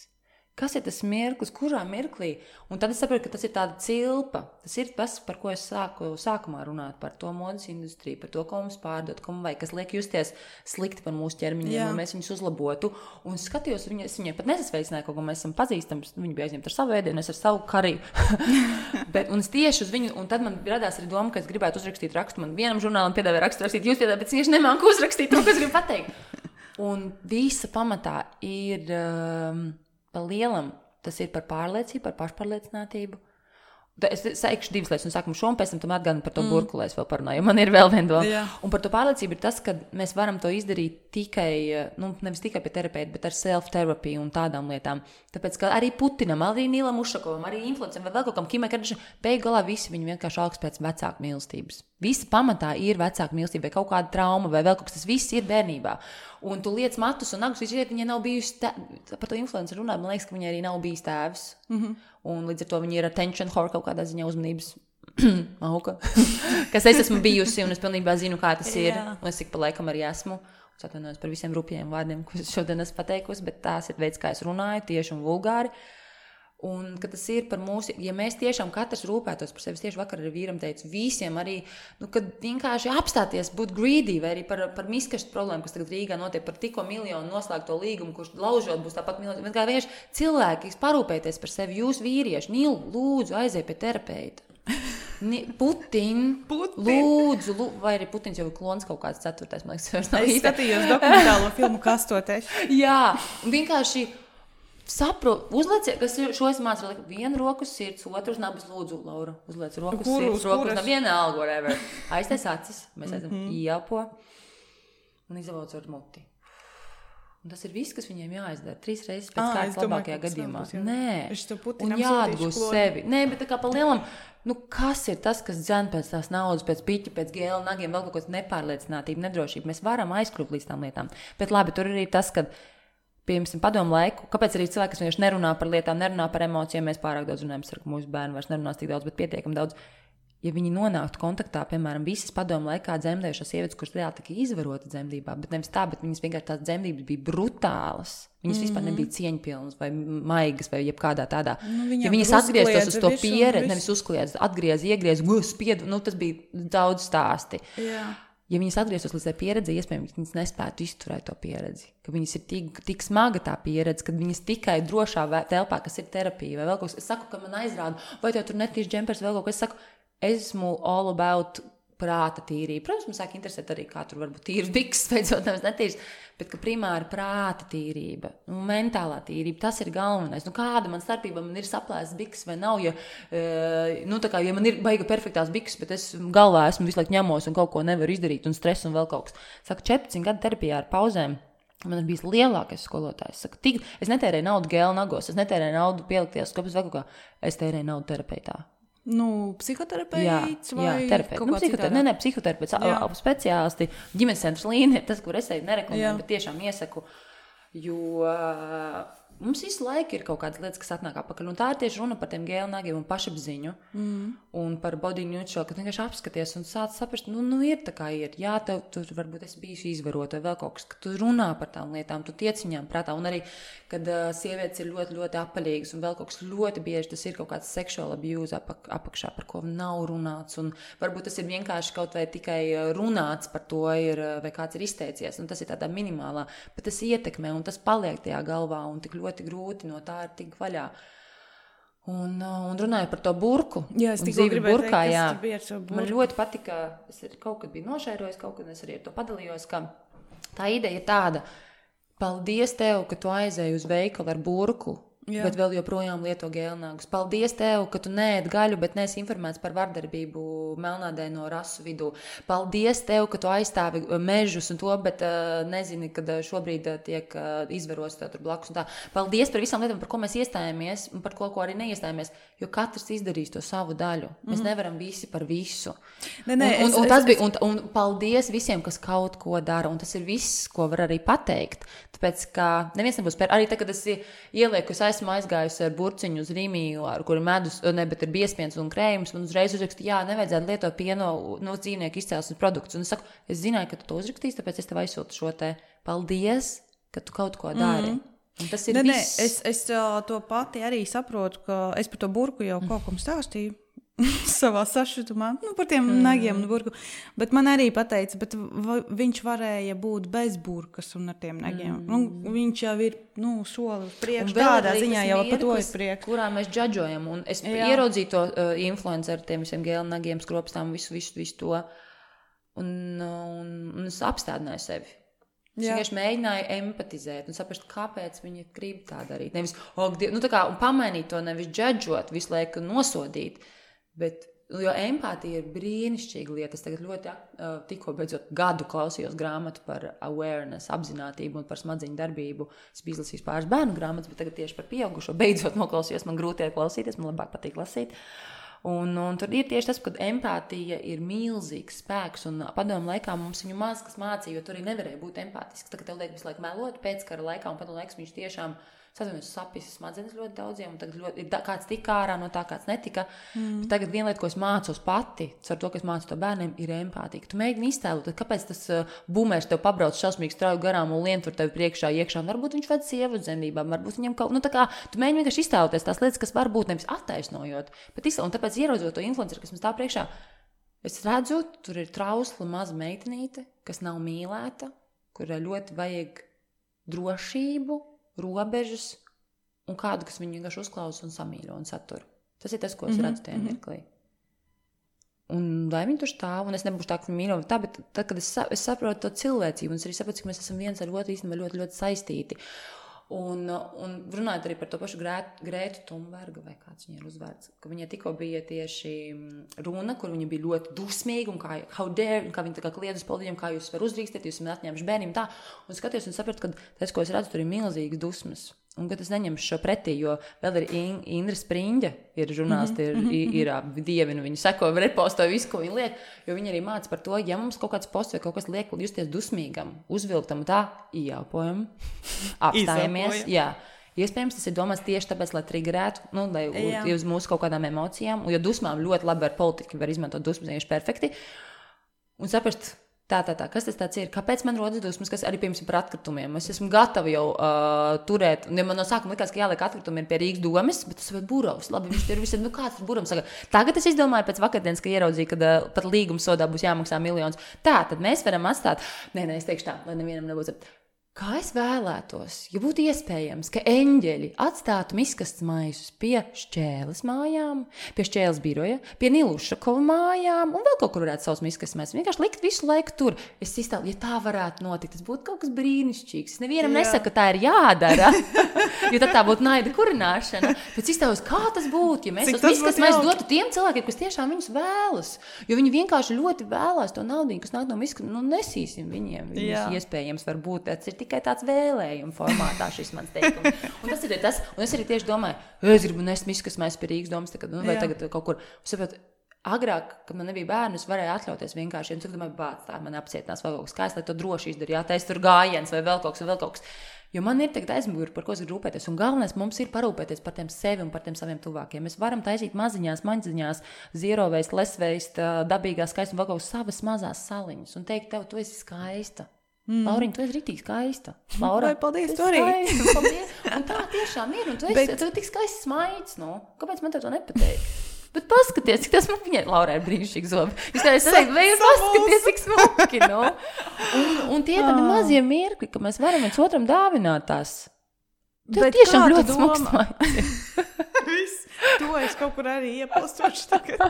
Kas ir tas mirklis, kurā mirklī? Un tad es saprotu, ka tas ir tāda cilpa. Tas ir tas, par ko es sāku sākumā runāt, par to modas industriju, par to, ko mums pārdot, ko mums vajag, kas liek justies slikti par mūsu ķermeņiem, un mēs viņus uzlabotu. Un skatījos, viņa, es viņai pat nesasveicināju, kaut ko mēs esam pazīstams, viņa bija aizņemta ar savu ēdienu, es ar savu kariju. Bet, un es tieši uz viņu, un tad man radās arī doma, ka es gribētu uzrakstīt rakstu, man vienam žurnālam piedāvāja rakstu rakstīt, jūs piedāvājat, bet es tieši nemāku uzrakstīt to, ko es gribu pateikt. Un visa pamatā ir... Um, pa lielam, tas ir par pārliecību, par pašpārliecinātību. Es saikšu divas lietas, un sākumu šo, un pēc tam tam atgādinu par to mm. burku, lai es vēl parunāju, jo man ir vēl viena doma. Yeah. Un par to pārliecību ir tas, ka mēs varam to izdarīt tikai, nu, nevis tikai pie terapeita, bet ar self-terapiju un tādām lietām. Tāpēc, ka arī Putinam, arī Nīlam Ušakovam, arī influencam, vai vēl kaut kam Kimai Kardashian, beigu galā visi viņi vienkārši augst pēc vecāku mīlestības. Visi pamatā ir vecāku mīlestība, vai kaut kāda trauma, vai vēl kaut kas, tas viss ir bērnībā. Un tu liec matus un nagus, visi, viņai nav bijusi, tā, par to influenceru runāt, man liekas, ka viņai arī nav bijis tēvs. Mm-hmm. Un līdz ar to viņi ir attention whore kaut kādā ziņā uzmanības auka, kas es esmu bijusi, un es pilnībā zinu, kā tas ir, un es tik pa laikam arī esmu. Es atvainojos par visiem rupjiem vārdiem, ko es šodien esmu pateikusi, bet tās ir veids, kā es runāju, tieši un vulgāri. Un, ka tas ir par mūsu, ja mēs tiešām katrs rūpētos par sevi, tieši vakar ar vīram teicu, visiem arī, nu, kad vienkārši apstāties, būt greedy, vai arī par, par miskastu problēmu, kas tagad Rīgā notiek, par tikko miljonu noslēgto līgumu, kurš laužot būs tāpat miljonu, bet kā vienkārši cilvēki, parūpēties par sevi, jūs vīrieši, Nīl, lūdzu, aiziet pie terapeita. Putin, Putin. Lūdzu, lūdzu, vai arī Putins jau ir klons kaut kāds ceturtais, man liekas, es skatījos dokumentālo filmu Kastoties. Jā, vienkārši saprot, uzlieciet, kas ir šo es mācu, vienu roku sirds, otru uz nabas, lūdzu, Laura, uzliec roku sirds, roku uz nabas, viena alga, whatever. Aiztais acis, mēs aizam mm-hmm. ieelpo un izavauc ar muti. Un tas ir viss, kas viņiem jāizdara. Trīs reizes pēc ah, kārtas labākajā gadījumā. Nē, un jāatgūst sevi. Nē, bet tā kā pa lielam, nu kas ir tas, kas dzen pēc tās naudas, pēc piķa, pēc gēla, nagiem, vēl kaut kāds nepārliecinātība, nedrošība. Mēs varam aizkļūt līdz tām lietām. Bet labi, tur ir tas, ka piemēram, padomu laiku, kāpēc arī cilvēki, kas vienkārši nerunā par lietām, nerunā par emocijām, mēs pārāk daudz runājam, ka mūsu bērni vairs nerunās tik daudz, bet pietiekam daudz. Ja viņi nonāktu kontaktā, piemēram, visas padomu laikā dzemdējušās sievietes, kuras reāli tika izvarota dzemdībā, bet nevis tā, bet viņas vienkārši tās dzemdības bija brutālas. Viņas mm-hmm. vispār nebija cieņpilnas vai maigas vai jebkādā tādā. Nu, ja viņas atgrieztos uz to pieredzi, nevis uzkliedz, atgriez, iegriez, spiedu, nu tas bija daudz stāsti. Jā. ja viņas atgrieztos līdz tai pieredzi, iespējams, viņas nespētu izturēt to pieredzi. Ka viņas ir tik, tik smaga tā pieredze, kad viņas tikai drošā telpā, kas ir terapija vai vēl kaut kas. Es saku, ka man aizrāda, vai tev tur netīši džempers vēl kaut kas. Es saku, esmu all about prāta tīrība. Protams, man sāk interesēt arī, kā tur varbūt tīras bikses, beidzot nevis netīras, bet ka primāri prāta tīrība, nu, mentālā tīrība, tas ir galvenais. Nu, kāda man starpība, man ir saplēstas bikses vai nav, ja, nu, tā kā, ja man ir baiga perfektās bikses, bet es galvā esmu visu laiku ņemos un kaut ko nevaru izdarīt un stresu un vēl kaut kas. Saku, četrpadsmit gadu terapijā ar pauzēm. Man ir bijis lielākais skolotājs. Saku, tik, es netērēju naudu gēlu nagos, es netērēju naudu pielikties skopus vēl kaut kā, es tērēju naudu terapeitā. Nu, psihoterapeits vai jā, terapeits. kaut Nu, kā psihoterapeits. Nē, nē, psihoterapeits, speciālisti, ģimenes centrs līnija, tas, kur es eju nereklamēju, bet tiešām iesaku, jo mums visu laiku ir kaut kādas lietas, kas atnāk apakaļ. Un tā ir tieši runa par tiem gēlnagiem un pašapziņu mm. un par body neutral, kad vienkārši apskaties un sāc saprast, nu, nu ir tā kā ir. Jā, tev tur varbūt esi bijusi izvarota vai vēl kaut kas, ka tu runā par tām lietām, tu tiec viņām prātā. Un arī, kad uh, sievietes ir ļoti, ļoti apaļīgas un vēl kaut kas ļoti bieži, tas ir kaut kāds sexual abuse apak, apakšā, par ko nav runāts. Un varbūt tas ir vienkārši kaut vai tikai runāts par to ir, vai kāds ir izteicies. Un tas ir tādā minimālā, bet tas ietekmē un tas paliek tajā galvā un tik ļoti grūti no tā ir tik vaļā. Un, un runāju par to burku. Jā, es tikko gribēju burkā, teikt, jā. kas bija ar šo burku. Man ļoti patika, es kaut kad biju nošērojis, kaut kad es arī ar to padalījos, ka tā ideja ir tāda, paldies tev, ka tu aizēji uz veikalu ar burku, jā. Bet vēl joprojām lieto gēlnāgus. Paldies tev, ka tu neēd gaļu, bet neesi informēts par vardarbību melnādaino rasu vidū. Paldies tev, ka tu aizstāvi mežus un to, bet uh, nezini, kad šobrīd uh, tiek uh, izvaros tā tur blakus un tā. Paldies par visām lietām, par ko mēs iestājāmies un par ko, ko arī neiestājāmies, jo katrs izdarīs to savu daļu. Mēs mm-hmm. nevaram visi par visu. Ne, ne, un, un, es, un, tas es, bija, un, un paldies visiem, kas kaut ko dara, un tas ir viss, ko var arī pateikt. Tāpēc, ka neviens nebūs pēr. Arī tā, kad es ielieku, es esmu aizgājusi ar burciņu uz Rīmiju, ar kuru medus, ne, bet ir biespiens un krējums, un uzreiz uzrakstu, jā, nevajadzētu lietot pieno no dzīvnieku izcelsmes produktus. Un es saku, es zināju, ka tu to uzrakstīsi, tāpēc es tev aizsūtu šo te paldies, ka tu kaut ko dari. Mm. Un tas ir ne, viss. Ne, es, es to pati arī saprotu, ka es par to burku jau kaut kam stāstīju. Savā sašutumā, nu, par tiem mm. nagiem un burku. Bet man arī pateica, bet v- viņš varēja būt bez burkas un ar tiem nagiem. Mm. Nu, viņš jau ir, nu, soli uz priekšu. Tādā ziņā jau par to ir priekš. Kurā mēs džadžojam. Un es Jā. ierodzīju to uh, influenceru, tiem visiem gēlnagiem, skropstām, visu, visu, visu to. Un, un, un es apstādināju sevi. Es vienkārši mēģināju empatizēt un saprast, kāpēc viņi grib tā darīt. Nevis, oh, nu, tā kā, un pamainīt to, nevis džadžot, visu laiku nosodīt. Bet, jo empātija ir brīnišķīga lieta. Es tagad ļoti uh, tikko beidzot gadu klausījos grāmatu par awareness, apzinātību un par smadziņu darbību. Es biju izlasījis pāris bērnu grāmatas, bet tagad tieši par pieaugušo beidzot noklausījos. Man grūti klausīties, man labāk patīk lasīt. Un, un tur ir tieši tas, ka empātija ir milzīgs spēks. Un padomu laikā mums viņu maz kas mācīja, jo tur arī nevarēja būt empātisks. Tagad tev liek visu laiku melot pēckara laikā un padomu laiks viņš tiešām sazinājuši sapis smadzenes ļoti daudziem, un tagad ļoti, ir da, kāds tika ārā no tā, kāds netika. Mm. Bet tagad viena lieta, ko es mācos pati, ar to, ka es mācu to bērniem, ir empātika. Tu mēģini iztēlot, kāpēc tas uh, bumērs tev pabrauc šausmīgi strauji garām un lien tur tevi priekšā iekšā. Un varbūt viņš ved sievu uz zemībām, varbūt viņam kaut, nu tā kā, tu mēģini vienkārši iztēloties tās lietas, kas var būt nevis attaisnojot, bet iztēlot, un tāpēc ieraudzot to influenceru, kas man stāv priekšā, es redzu, tur ir trausla maza meitenīte, kas nav mīlēta, kurai ļoti vajag drošību, robežas un kādu, kas viņu vienkārši uzklausa un samīļo un satur. Tas ir tas, ko es mm-hmm. redzu tajā mirklī. Un lai viņi tur stāv, un es nebūšu tā, ka viņi mīļo tā, bet tad, kad es, sa- es saprotu to cilvēcību, un es arī saprotu, ka mēs esam viens ar otru īstenībā ļoti, ļoti saistīti. Un, un runājot arī par to pašu Grētu, Grētu Thunbergu, vai kāds viņa ir uzvārds, ka viņa tikko bija tieši runa, kur viņa bija ļoti dusmīga, un kā, how dare, un kā viņa tā kā kliedz uz politiķiem, kā jūs var uzdrīkstēt, jūs esat atņēmuši bērniem tā, un skatījos un sapratu, ka tas, ko es redzu, tur ir milzīgas dusmas. Un kad es neņemšu šo pretī, jo vēl ir In- Indra Spriņģa, ir žurnālisti, ir, ir, ir, ir dievinu, viņu seko, repostoja visu, ko viņi liek, jo viņi arī māca par to, ja mums kaut kāds posts vai kaut kas liek justies dusmīgam, uzvilktam tā, ieelpojam, apstājamies, jā. Iespējams, tas ir domāts tieši tāpēc, lai triggerētu, nu, lai Jā. uz mūsu kaut kādām emocijām, jo dusmām ļoti labi ar politiku var izmantot dusmas, vienkārši perfekti, un saprast, Tā, tā, tā. Kas tas tāds ir? Kāpēc man rodas dusmas, kas arī, piemēram, par atkritumiem? Es esmu gatava jau uh, turēt, un ja man no sākuma likās, ka jāliek atkritumi ir pie Rīgas domes, bet tas ir Burovs. Labi, viņš ir visam, nu kāds ir Burovs? Saka, tagad es izdomāju pēc vakardienas, ka ieraudzīju, ka uh, pat līguma sodā būs jāmaksā miljons. Tā, tad mēs varam atstāt, nē, nē, es teikšu tā, lai nevienam nebūtu. Kā es vēlētos, ja būtu iespējams, ka eņģeļi atstātu miskastes maisus pie Šķēles mājām, pie Šķēles biroja, pie Nilušakova mājām un vēl kaut kur varētu savus miskastes maisus. Vienkārši likt visu laiku tur. Es izstāvu, ja tā varētu notikt, tas būtu kaut kas brīnišķīgs. Es nevienam Jā. nesaku, ka tā ir jādara, jo tad tā būtu naida kurināšana. Bet izstāvos, kā tas būtu, ja mēs tos miskastes maisus dotu tiem cilvēkiem, kas tiešām viņus vēlas. Jo viņi vienkārši ļoti vēlās to naudiņu, kas nāk no miskastes. Nu, nesīsim viņiem. Viņus iespējams var būt. Tas ir tikai tāds vēlējuma formātā šis mans teikums. Un tas ir tas, un es arī tieši domāju, es gribu nest miskas mēs pie Rīgas domas, tagad, nu, vai Jā. tagad kaut kur. Saprot, agrāk, kad man nebija bērnu, es varēju atļauties vienkārši, un es domāju, bāc, tā man apcietinās vēl kaut kas, kā es lai to droši izdaru, jātais tur gājiens vai vēl kaut kas, vai vēl kaut kas. Jo man ir tagad aizmuguri, par ko es gribu rūpēties, un galvenais mums ir parūpēties par tiem sevi un par tiem saviem tuvākiem. Mēs varam taisīt maziņās, maņdziņās, zieroveist, lesveist, dabīgās skaistas un vēl kaut kas savas mazās saliņas un teikt tev, tu esi skaista. Mm. Lauriņa, tu esi ritīgi skaista. Laura, vai paldies, tu arī. Skaista, paldies. Un tā tiešām ir, un tu esi, Bet... tu tik skaists smaids, nu. Kāpēc man tev to nepateikt? Bet paskaties, cik tas man viņai, Laura, ir brīnišķīgi zobi. Jūs tā esi teikt, vai jūs paskaties, cik smuki, nu. Un, un tie tādi mazie mirkļi, ka mēs varam viens otram dāvināt tās. Tev tiešām ļoti smuks smaids. Viss, to es kaut kur arī iepostošu tagad.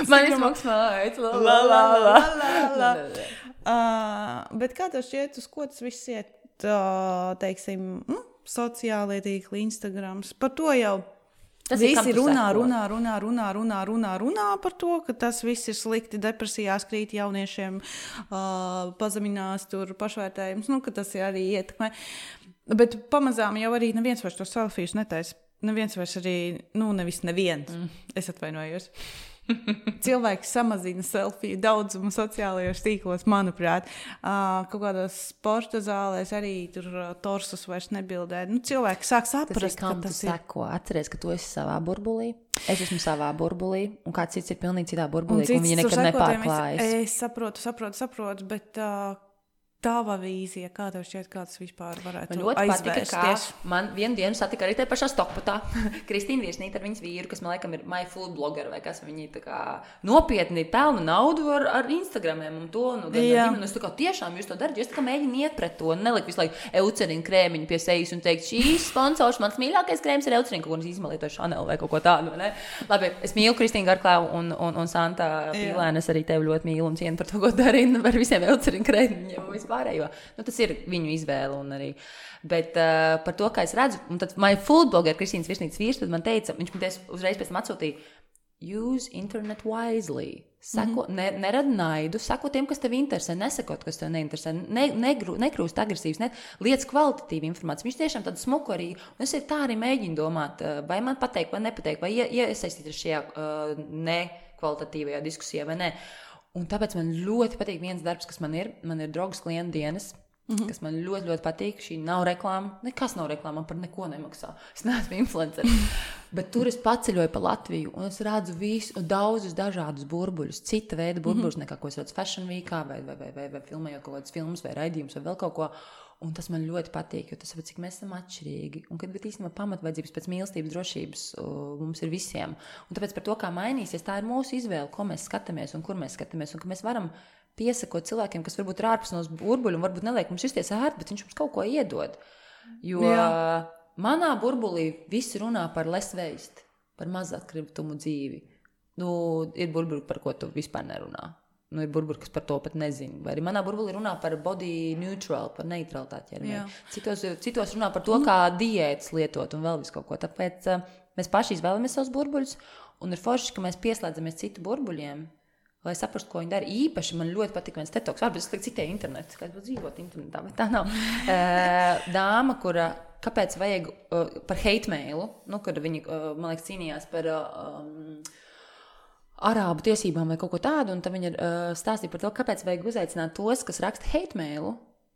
Man ir smuks smaids. La, la, la, la, la. Uh, bet kā tev šķiet, uz ko tas viss iet, uh, teiksim, nu, sociālie tīkli, Instagrams, par to jau tas visi runā, runā, runā, runā, runā, runā, runā par to, ka tas viss ir slikti, depresijās krīt jauniešiem, uh, pazeminās tur pašvērtējums, nu, ka tas arī ietekmē. Bet pamazām jau arī neviens vairs to selfijas netaisa. Neviens vairs arī, nu, nevis neviens, mm. es atvainojos. Cilvēki samazina selfiju daudzumu sociālajos tīklos, manuprāt. Uh, kaut kādās sporta zālēs arī tur uh, torsus vairs nebildē. Nu, cilvēki sāk saprast, ka tas ir. Seko, atceries, ka tu esi savā burbulī, es esmu savā burbulī, un kāds cits ir pilnīgi citā burbulī, un, un viņi nekad nepārklājas. Es, es saprotu, saprotu, saprotu, bet... Uh, Tava vīzija, kā tev šķiet, kā tas vispār varētu man ļoti aizvērst? Patika, kā man vienu dienu satika arī te pašā Stokpatā Kristīna Virsnīte ar viņas vīru, kas man laikam ir my food blogger vai kas, viņi tā kā nopietni pelna naudu ar, ar Instagramiem un to, un, un, un es tā kā tiešām jūs to darat, jo es tā kā mēģinu iet pret to, un neliku visu laiku eucerinu krēmiņu pie sejas un teikt, šīs sponsors, mans mīļākais krēms ir eucerinu, kaut ko izmalīt vai Chanel vai kaut ko tādu, ne? Labi, es mīlu Kristīnu Garklāvu un, un, un Santa Pīlēnu, es arī tevi ļoti mīlu un cienu par to, ko darīju par visiem eucerinu krēmiņiem. Pārējo. Nu, tas ir viņu izvēle un arī. Bet uh, par to, kā es redzu, un tad my food blogger Kristīnas Virsnītes vīrs, tad man teica, viņš man uzreiz pēc tam atsūtīja, use internet wisely. Sako, mm-hmm. ne, nerad naidu, sako tiem, kas tev interesē, nesakot, kas tev neinteresē, ne, negru, nekrūst agresīvs, ne, liec kvalitatīvu informāciju. Viņš tiešām tādu smuku arī, un es tā arī mēģinu domāt, vai man pateikt, vai nepateikt, vai iesaistīties šajā uh, nekvalitatīvajā diskusijā, vai ne. Un tāpēc man ļoti patīk viens darbs, kas man ir. Man ir draugs klientu dienas, mm-hmm. kas man ļoti, ļoti patīk. Šī nav reklāma. Nekas nav reklāma, man par neko nemaksā. Es neesmu influencer. Bet tur es paceļoju pa Latviju un es redzu visu, daudzus dažādus burbuļus. Cita veida burbuļus, mm-hmm. nekā ko es redzu Fashion Weekā vai, vai, vai, vai, vai filmējot kaut kādas filmas vai raidījumus vai vēl kaut ko. Un tas man ļoti patīk, jo tas ir, cik mēs esam atšķirīgi. Un kad bet īstenībā pamatvajadzības pēc mīlestības, drošības uh, mums ir visiem. Un tāpēc par to, kā mainīsies, tā ir mūsu izvēle, ko mēs skatāmies un kur mēs skatāmies. Un ka mēs varam piesakot cilvēkiem, kas varbūt ir ārpus no burbuļu un varbūt neliek mums justies ērti, bet viņš mums kaut ko iedod. Jo Jā. manā burbulī visi runā par less waste, par mazatkritumu dzīvi. Nu, ir burbuļi, par ko tu vispār nerunā. Nu, ir burbuļi, kas par to pat nezinu. Vai arī manā burbulī runā par body neutral, par neutralitāti ķermeni. Citos, citos runā par to, kā diētas lietot un vēl visu kaut ko. Tāpēc uh, mēs paši izvēlamies savus burbuļus un ir forši, ka mēs pieslēdzamies citu burbuļiem, lai saprastu, ko viņi dara. Īpaši man ļoti patīk viens tetoks. Varbūt es citēju internetu, kā es būtu dzīvot internetā, bet tā nav. Uh, dāma, kura, kāpēc vajag uh, par hate mailu, nu, kad viņi, uh, man liekas, cīnījās par... Uh, um, arābu tiesībām vai kaut ko tādu, un tad viņa uh, stāstīja par to, kāpēc vajag uzaicināt tos, kas raksta hate mailu,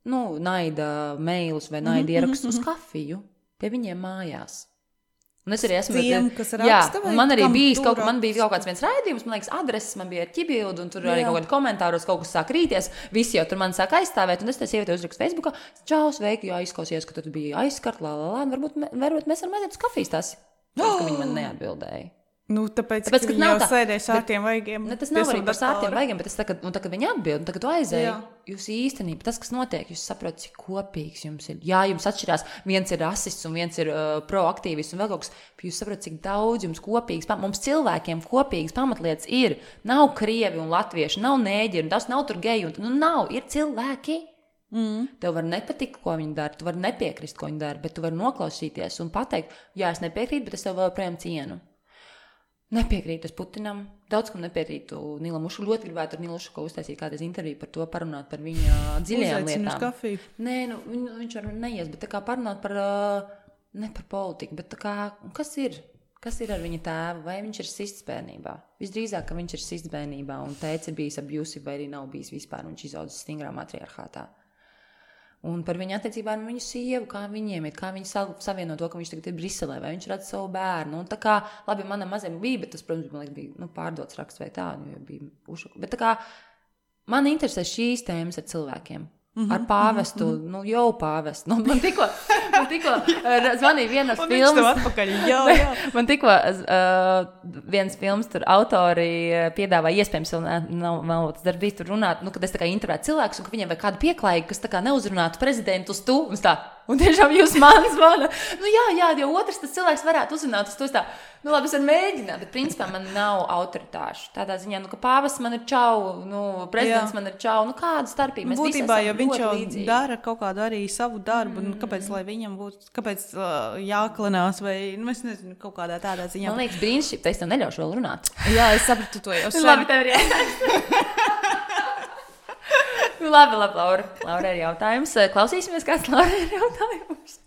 nu, naida mailus vai naida ierakstus mm-hmm. uz kafiju pie viņiem mājās. Un es arī esmu tiem, kas raksta, jā, man arī bijis kaut, raksta? man bija kaut kāds viens raidījums, man liekas, adreses, man bija ar ķibildu, un tur arī Jā. kaut kādi komentāros kaut kas sāk rīties, visi jau tur man sāk aizstāvēt, un es te sievieti uzrakstu Facebookā, čau, sveiki, jā, izklausījos, ka tu biji aizskart, lā, lā, lā, varbūt, varbūt mēs varam aiziet uz kafijas tas, oh! ka viņi man neatbildēja. Nu, tāpēc, Tāpēc, ka ka viņi nav jau tā- sēdēja sārtiem vaigiem. Ne, tas pie nav arī sava par sārtiem datora. vaigiem, bet es tā, kad, un tā, kad viņi atbild, un tā, kad tu aizēji, Jā. jūs īstenībā, tas, kas notiek, jūs saprotat, cik kopīgs jums ir. Jā, jums atšķirās, viens ir rasists un viens ir uh, proaktīvis un vēl kaut kas, bet jūs saprotat, cik daudz jums kopīgs, pam- mums cilvēkiem kopīgs pamatlietas ir. Nav krievi un latvieši, nav nēģi, un tas nav tur geji, un nu nav, ir cilvēki. Mm. Tev var nepatikt, ko viņi dara, tu vari nepiekrist, ko viņi dara, bet tu vari noklausīties un pateikt, jā, es nepiekrītu, bet es tev vēl projām cienu. Nepiekrītu es Putinam, daudz kam nepiekrītu Nilam Ušu. Ļoti gribētu ar Nilu Ušu uztaisīt kādreiz interviju par to, parunāt par viņa dziļajām Uzaicinu uz lietām. kafiju. Nē, nu, viņ, viņš var neies, bet tā kā parunāt par, uh, ne par politiku, bet tā kā, kas ir? Kas ir ar viņa tēvu? Vai viņš ir sists bērnībā? Visdrīzāk, ka viņš ir sists bērnībā un tēvs ir bijis abusive vai arī nav bijis vispār, un viņš izaudzis stingrā matriarchātā. Un par viņa attiecībām ar viņu sievu, kā viņiem ir, kā viņi savieno to, ka viņš tagad ir Briselē, vai viņš redz savu bērnu. Un tā kā, labi, manam mazam bija, bet tas, protams, man liekas, bija nu, pārdots raksts vai tā, jo bija ušuka. Bet tā kā man interesē šīs tēmas ar cilvēkiem. Mm-hmm, ar pāvestu, mm-hmm. nu jau pāvestu. Nu, man tikko, man tikko uh, zvanīja viena Un filmas. viņš tev atpakaļ, jā, jā. Man tikko uh, viens films tur autori uh, piedāvā iespējams, vēl nav, nav, nav tas darbīs tur runāt, nu, kad es tā kā intervētu cilvēkus, un ka viņiem vajag kādu pieklājīgu, kas tā kā neuzrunātu prezidentu uz tu, un tā, un tiešām jūs man zvana. Nu jā, jā, jo otrs tas cilvēks varētu uzrunāt uz to, tā, nu labi, es varu mēģināt, bet principā man nav autoritāšu. Tādā ziņā, nu, ka pāvests man ir čau, nu, prezidents jā. Man ir čau, nu, kāda starpība? Mēs būtībā, jo viņš jau līdzīgi. Dara kaut kādu arī savu darbu, mm. nu, kāpēc, lai viņam būtu, kāpēc uh, jāklinās, vai, nu, es nezinu, kaut kādā tādā ziņā. Man liekas, brīnišķīgi, es tev neļaušu vēl runāt. Jā, es sapratu to jau sen. Labi, tev ir jāsaka. Labi, labi, Laura. Laura ir jautājums. Klausīsimies, kāds Laura ir jautājums.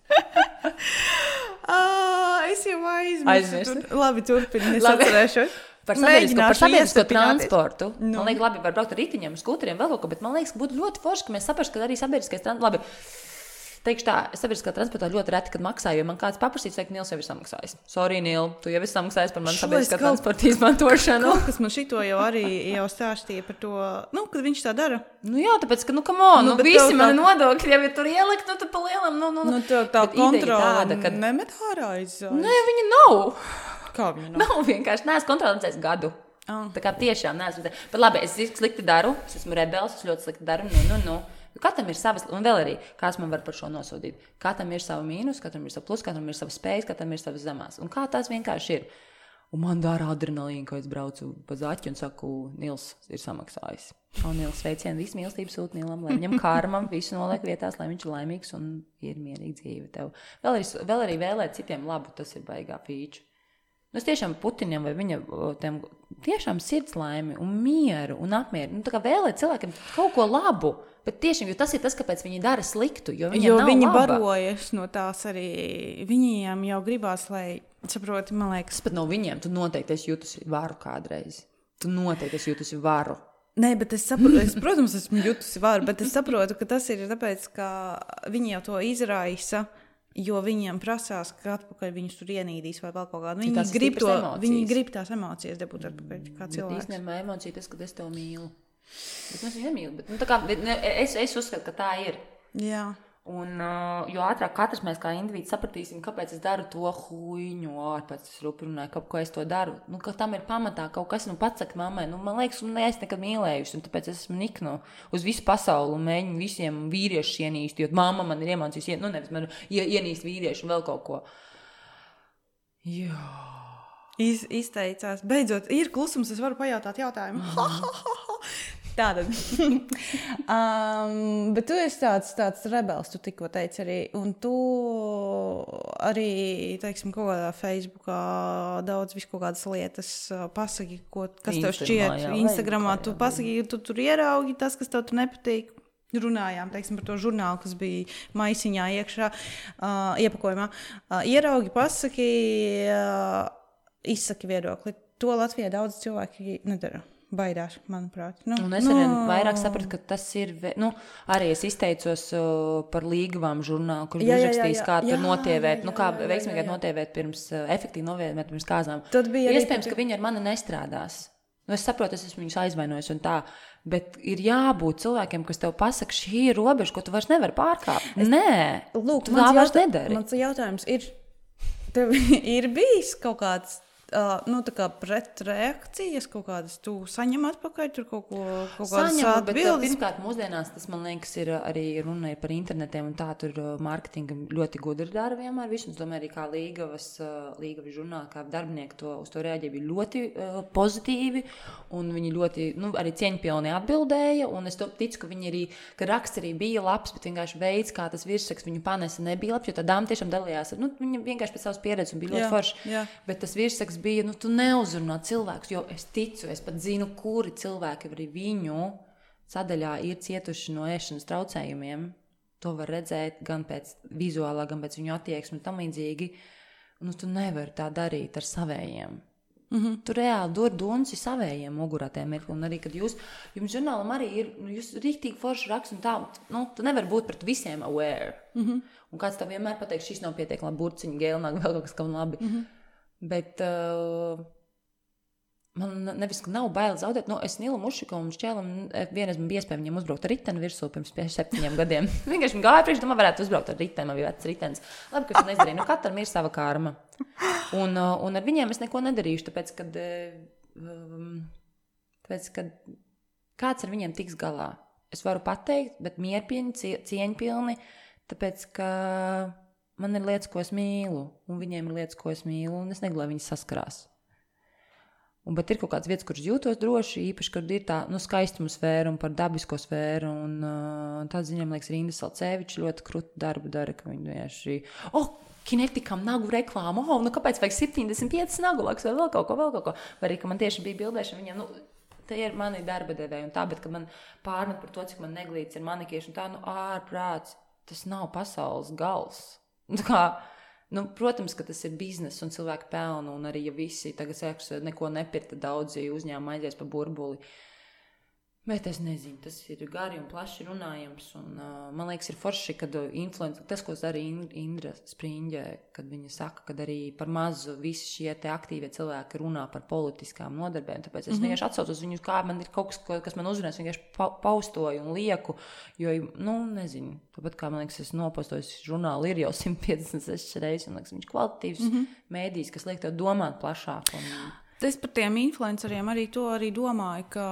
ah, es jau aizmirsu. Aizmirsti. Tur, labi, turpini, es atcerēšos. Par sabiedrisko, par sabiedrisko iestarpināties. transportu. Nu. Man liekas, labi, var braukt ar ritiņiem, skuteriem, vēl kaut ko, bet man liekas, būtu ļoti forši, ka mēs saprastu, ka arī sabiedriskais transports, labi, teikšu tā, sabiedriskā transportā ļoti reti, kad maksā, jo man kāds paprasīs, ka Nils jau ir samaksājis. Sorry, Nil, tu jau esi samaksājis par manu sabiedriskā kaut- transporta izmantošanu. Kaut kas man šito jau arī jau stāstīja par to, nu, kad viņš tā dara. Nu jā, tāpēc, ka, nu, come on, Nu, nu, bet visi tev tā- mani nodokļi jau ir tur ielikt, nu, tad pa lielam, nu, nu, Nu, tev tā Bet ideja kontrola tāda, kad- nemet ārā aiz. Nē, viņa nav. Kā viņa nav? Nav vienkārši, neesmu kontrolēts gadu. Ah. Tā kā tiešām neesmu. Bet labi, es slikti daru, es esmu rebels, es ļoti slikti daru. Nu, nu, nu. Katram ir savas, un vēl arī, kāds man var par šo nosodīt. Katram ir sava mīnus, katram ir sava plus, katram ir sava spējas, katram ir savas zemās. Un kā tās vienkārši ir. Un man dara adrenalīnu, kad es braucu pa zaķi un saku, Nils ir samaksājis. Un Nils sveicien, visu mīlestību sūt Nilam, lai viņam karmam visu noliek vietās, lai viņš ir laimīgs un ir mierīgi dzīve tev. Vēl arī, vēl arī vēlēt citiem labu, tas ir baigā pīču. Nu, es tiešām Putinam vai viņa tiem, tiešām sirds laimi un mieru un apmieru. Nu, tā kā vēlēt cilvēkiem kaut ko labu, bet tiešām, jo tas ir tas, kāpēc viņi dara sliktu, jo viņiem Jo nav viņi laba. barojas no tās arī, viņiem jau gribās, lai, saproti, man liekas. Pat no viņiem, tu noteikti esi jutusi varu kādreiz. Tu noteikti esi jutusi varu. Nē, bet es saprotu, es, protams, esmu jutusi varu, bet es saprotu, ka tas ir tāpēc, ka viņi jau to izraisa, jo viņiem prasās, ka atpakaļ viņus tur ienīdīs vai vēl kaut kādu. Viņi tās ir grib, to, stipras emocijas. viņi grib tās emocijas dabūt atpakaļ kā Bet cilvēks. īstenībā emocija tas, kad es tev mīlu. Bet es viņu nemīlu. Bet, nu, tā kā, bet, ne, es, es uzskatu, ka tā ir. Jā. Un, uh, jo ātrāk katrs mēs kā indivīds sapratīsim, kāpēc es daru to huīņu, ārpēc es ruprunāju, kā, ko es to daru. Nu, ka tam ir pamatā kaut kas, nu, pats saka mammai, nu, man liekas, un es nekad mīlējuši, un tāpēc es esmu niknu uz visu pasauli un mēģinu visiem vīriešus ienīst, jo mamma man ir iemācījusi, nu, nevis man ienīst vīriešu un vēl kaut ko. Jā. Iz, izteicās. Beidzot, ir klusums, es varu pajautāt jautājumu. Tātad. um, bet tu esi tāds, tāds rebels, tu tikko teici arī, un tu arī, teiksim, kaut kādā Facebookā daudz visu kaut kādas lietas uh, pasaki, ko, kas tev šķiet. Jā, Instagramā jā, tu jā, pasaki, tu tur ieraugi tas, kas tev tur nepatīk. Runājām, teiksim, par to žurnālu, kas bija maisiņā iekšā, uh, iepakojumā. Uh, ieraugi, pasaki, uh, izsaki viedokli. To Latvijā daudz cilvēki nedara. baidās, manuprāt. Nu, un es nu... arī vairāk sapratu, ka tas ir, nu, arī es izteicos uh, par līgavām žurnālu, kur bija uzrakstījis, kā tur notievēt, nu, kā veiksmīgāk notievēt pirms, uh, efektīvi notievēt pirms kāzām. Iespējams, ka viņi ar mani nestrādās. Nu, es saprotu, es esmu viņus aizvainojis un tā, bet ir jābūt cilvēkiem, kas tev pasaka, šī ir robeža, ko tu vairs nevari pārkāpt. Es... Nē, Lūk, tu tā vairs jautā... nedari. Mans jautājums ir, tev ir bijis kaut kāds Uh, nu, tā kā pretreakcijas kaut kādas, tu saņem atpakaļ tur kaut ko, kaut kādas Saņemu, atbildes? Bet pirmkārt mūsdienās tas, man liekas, ir arī runa par internetiem un tā tur mārketinga ļoti gudri dara vienmēr visu. Es domāju, arī kā līgavas, līgavas žurnāli, kā darbinieki to, uz to reaģēja, bija ļoti uh, pozitīvi un viņi ļoti, nu, arī cieņpilni atbildēja un es to ticu, ka viņi arī, ka raksts arī bija labs, bet vienkārši veids, kā tas virsraksts viņu panesa nebija labs, jo tā dāma tiešām dalījās, nu, viņa vienkārši pēc savas pieredzes un bija ļoti forši, bet tas virsraksts bija, nu, tu neuzrunā cilvēkus, jo es ticu, es pat zinu, kuri cilvēki arī viņu sadaļā ir cietuši no ēšanas traucējumiem. To var redzēt gan pēc vizuālā, gan pēc viņu attieksmi un tam līdzīgi. Nu, tu nevari tā darīt ar savējiem. Mm-hmm. Tu reāli dod dunci savējiem mugurā tiem mirkli. Un arī, kad jūs, jums žurnālam arī ir, nu, jūs rīktīgi forši raksts un tā, nu, tu nevari būt pret visiem aware. Mm-hmm. Un kāds tev vienmēr pateiks, šis nav pietiekami labi burciņi, gēlnāk, vēl kaut kas kaut labi. Mm-hmm. Bet uh, man nevis, ka nav baili zaudēt. Nu, es Nilu Mušikovu un Šķēlam vienreiz man bija iespēja viņam uzbraukt ar riteni virsū pirms septiņiem gadiem. Vienkārši man gāja priekš, domā, varētu uzbraukt ar riteni, man bija vecs ritenis. Labi, ka es neizdarīju. Nu, katram ir sava karma. Un, uh, un ar viņiem es neko nedarīšu, tāpēc, kad, um, tāpēc, kad kāds ar viņiem tiks galā. Es varu pateikt, bet mierpilni, cieņpilni, tāpēc, ka man ir lietas, ko es mīlu, un viņiem ir lietas, ko es mīlu, un es negribu, lai viņi saskarās. Un, bet ir kaut kāds vietas, kuras jūtos droši, īpaši, kad ir tā, nu, skaistuma sfēra un par dabisko sfēru, un uh, tāds ziņām, liekas, Rinda Salcevičs ļoti krutu darbu dara, ka viņi vienkārši, oh, kinetikam nagu reklāmu, oh, nu, kāpēc vajag septiņdesmit pieci nagu laks, vai vēl kaut ko, vēl kaut ko, vai arī, ka man tieši bija bildēšana viņiem, nu, te ir mani darba devēji un tā, bet, ka man pārmet par to, cik man neglīts ir manikieši un tā, nu, ārprāts, tas nav pasaules gals. Kā, nu, protams, ka tas ir biznes un cilvēki pelna, un arī, ja visi tagad sēks neko nepirta, daudzi uzņēmumi aizies pa burbuli. Bet es nezinu, tas ir gari un plaši runājams, un uh, man liekas, ir forši, kad influencer, tas, ko dara Indra Spriņģe, kad viņa saka, kad arī par mazu visi šie te aktīvie cilvēki runā par politiskām nodarbēm, tāpēc es mm-hmm. vienkārši atsaucu uz viņus, kā man ir kaut kas, kas man uzrunās, vienkārši pa, paustoju un lieku, jo, nu, nezinu, tāpat kā, man liekas, es nopostojos žurnālu ir jau simt piecdesmit sešas reizes, un liekas, viņš kvalitatīvs mm-hmm. mēdījis, kas liek tev domāt plašāk. Un... Es par tiem influenceriem arī to arī domāju, ka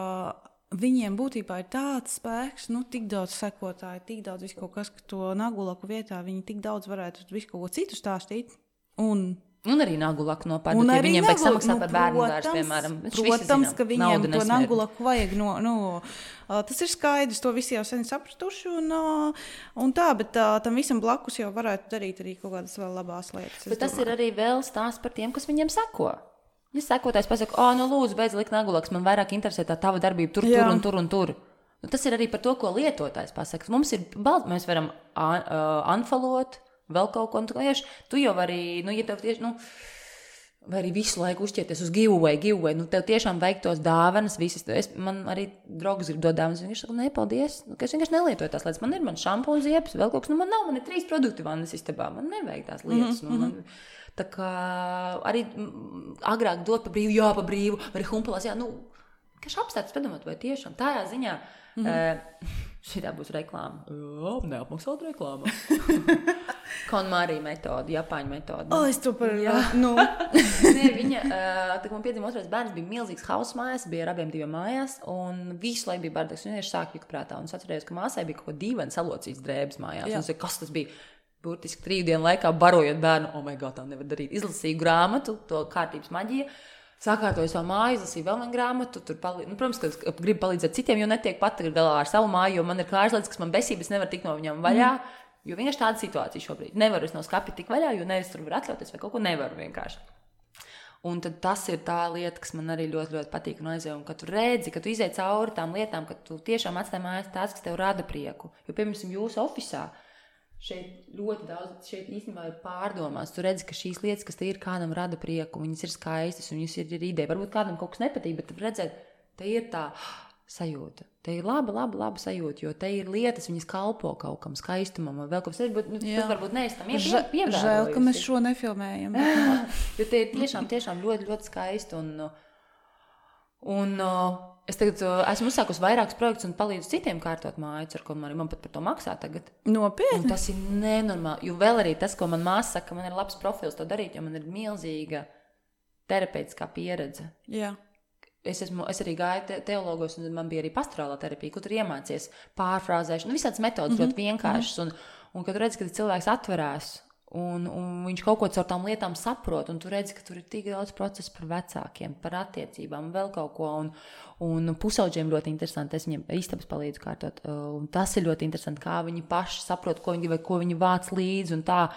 viņiem būtībā ir tāds spēks, nu, tik daudz sekotāju, tik daudz visu kaut kas, ka to nagulaku vietā viņi tik daudz varētu visu kaut ko citu stāstīt. Un, un arī nagulaku nopārdot, ja viņiem vajag samaksāt nu, par bērnu dārstu, piemēram. Protams, ka viņiem to nagulaku vajag. No, no, uh, tas ir skaidrs, to visi jau sen sapratuši. Un, uh, un tā, bet uh, tam visam blakus jau varētu darīt arī kaut kādas vēl labās lietas. Bet tas domāju. Ir arī vēl stāsts par tiem, kas viņiem seko. Ja sekotājs pasaka, o, nu lūdzu, beidz likt nagulaks, man vairāk interesē tā tava darbība tur, Jā. tur un tur un tur. Nu, tas ir arī par to, ko lietotājs pasaka. Mums ir, mēs varam uh, unfollowot, vēl kaut ko, un tu, tu jau vari, nu, ja tev tieši, nu, vai arī visu laiku uzķerties uz giveaway, giveaway, nu, tev tiešām vajag tos dāvanas, visas, es, man arī draugs grib dot dāvanas, viņš saka, ne, paldies, nu, ka es vienkārši nelietoju tās lietas, man ir, man šampūns, ziepes, vēl kaut kas, nu, man nav, man ir trīs produkti vannas istabā, man nevajag tās lietas, mm-hmm. nu, man... Tā kā arī agrāk dot pa brīvu, jā, pa brīvu, vai arī humpalās, jā, nu, kaž apstāties padomāt, vai tiešām tādā ziņā, mm-hmm. uh, šitā būs reklāma. Jā, neapmaksāt reklāma. KonMari metode, Japāņu metode. O, es to par, jā, nu. Nē, viņa, uh, tā kā man piedzima otrais bērns, bija milzīgs hauss mājās, bija ar abiem diviem mājās, un visu laiku bija bardaks, un vienkārši sāk juka prātā, un es atcerējos, ka māsai bija kaut ko dīvaini salocīts drēbes mājās, jā. Un es saku, kas tas bija? Burtiski trīs dienu laikā barojot bērnu, oh my god, tā nevar darīt. Izlasīju grāmatu, to kārtības maģija, sakārtoju savu māju, izlasīju vēl vienu grāmatu, tur palīdz, nu, protams, ka gribu palīdzēt citiem, jo netiek pat galā ar savu māju, jo man ir klārs lietas, kas man besības nevar tikt no viņām vaļā, mm. jo vienkārši tāda situācija šobrīd. Nevaru es no skapi tik vaļā, jo nevis tur var atļauties vai kaut ko nevaru vienkārši. Un tad tas ir tā lieta, kas man arī ļoti, ļoti patīk un aizjauj, un ka tu redzi, ka tu izej cauri tām lietām, ka tu tiešām atstāji mājās tās, kas tev rada prieku. Jo, piemēram, jūsu ofisā, šeit ļoti daudz, šeit īstenībā ir pārdomās. Tu redzi, ka šīs lietas, kas te ir, kādam rada prieku, viņas ir skaistas, un viņas ir, ir ideja. Varbūt kādam kaut kas nepatīk, bet redzēt, te ir tā sajūta. Te ir laba, laba, laba sajūta, jo te ir lietas, viņas kalpo kaut kam skaistumam, vai vēl kaut kas, bet nu, tas varbūt neesam pievērojis. Žēl, ka mēs šo nefilmējam. Bet... jo te ir tiešām, tiešām ļoti, ļoti skaisti. Un, un es tagad esmu uzsākusi vairākus projektus un palīdzu citiem kārtot mājas, ar ko man, man pat par to maksā tagad. Nopietni? Un tas ir nenormāli, jo vēl arī tas, ko man māsa saka, man ir labs profils to darīt, jo man ir milzīga terapeitiskā pieredze. Jā. Es, esmu, es arī gāju te, teologos, un man bija arī pastorālā terapija, kur tur iemācies pārfrāzēšanu, nu, visādas metodas mm-hmm. ļoti vienkāršas, un, un kad tu redzi, ka cilvēks atverās, un, un viņš kaut ko caur tām lietām saprot, un tu redzi, ka tur ir tik daudz procesu par vecākiem, par attiecībām, vēl kaut ko, un, un pusauģiem ļoti interesanti, es viņiem istabas palīdzu kārtot, un tas ir ļoti interesanti, kā viņi paši saprot, ko viņi, vai ko viņi vāc līdzi, un tā.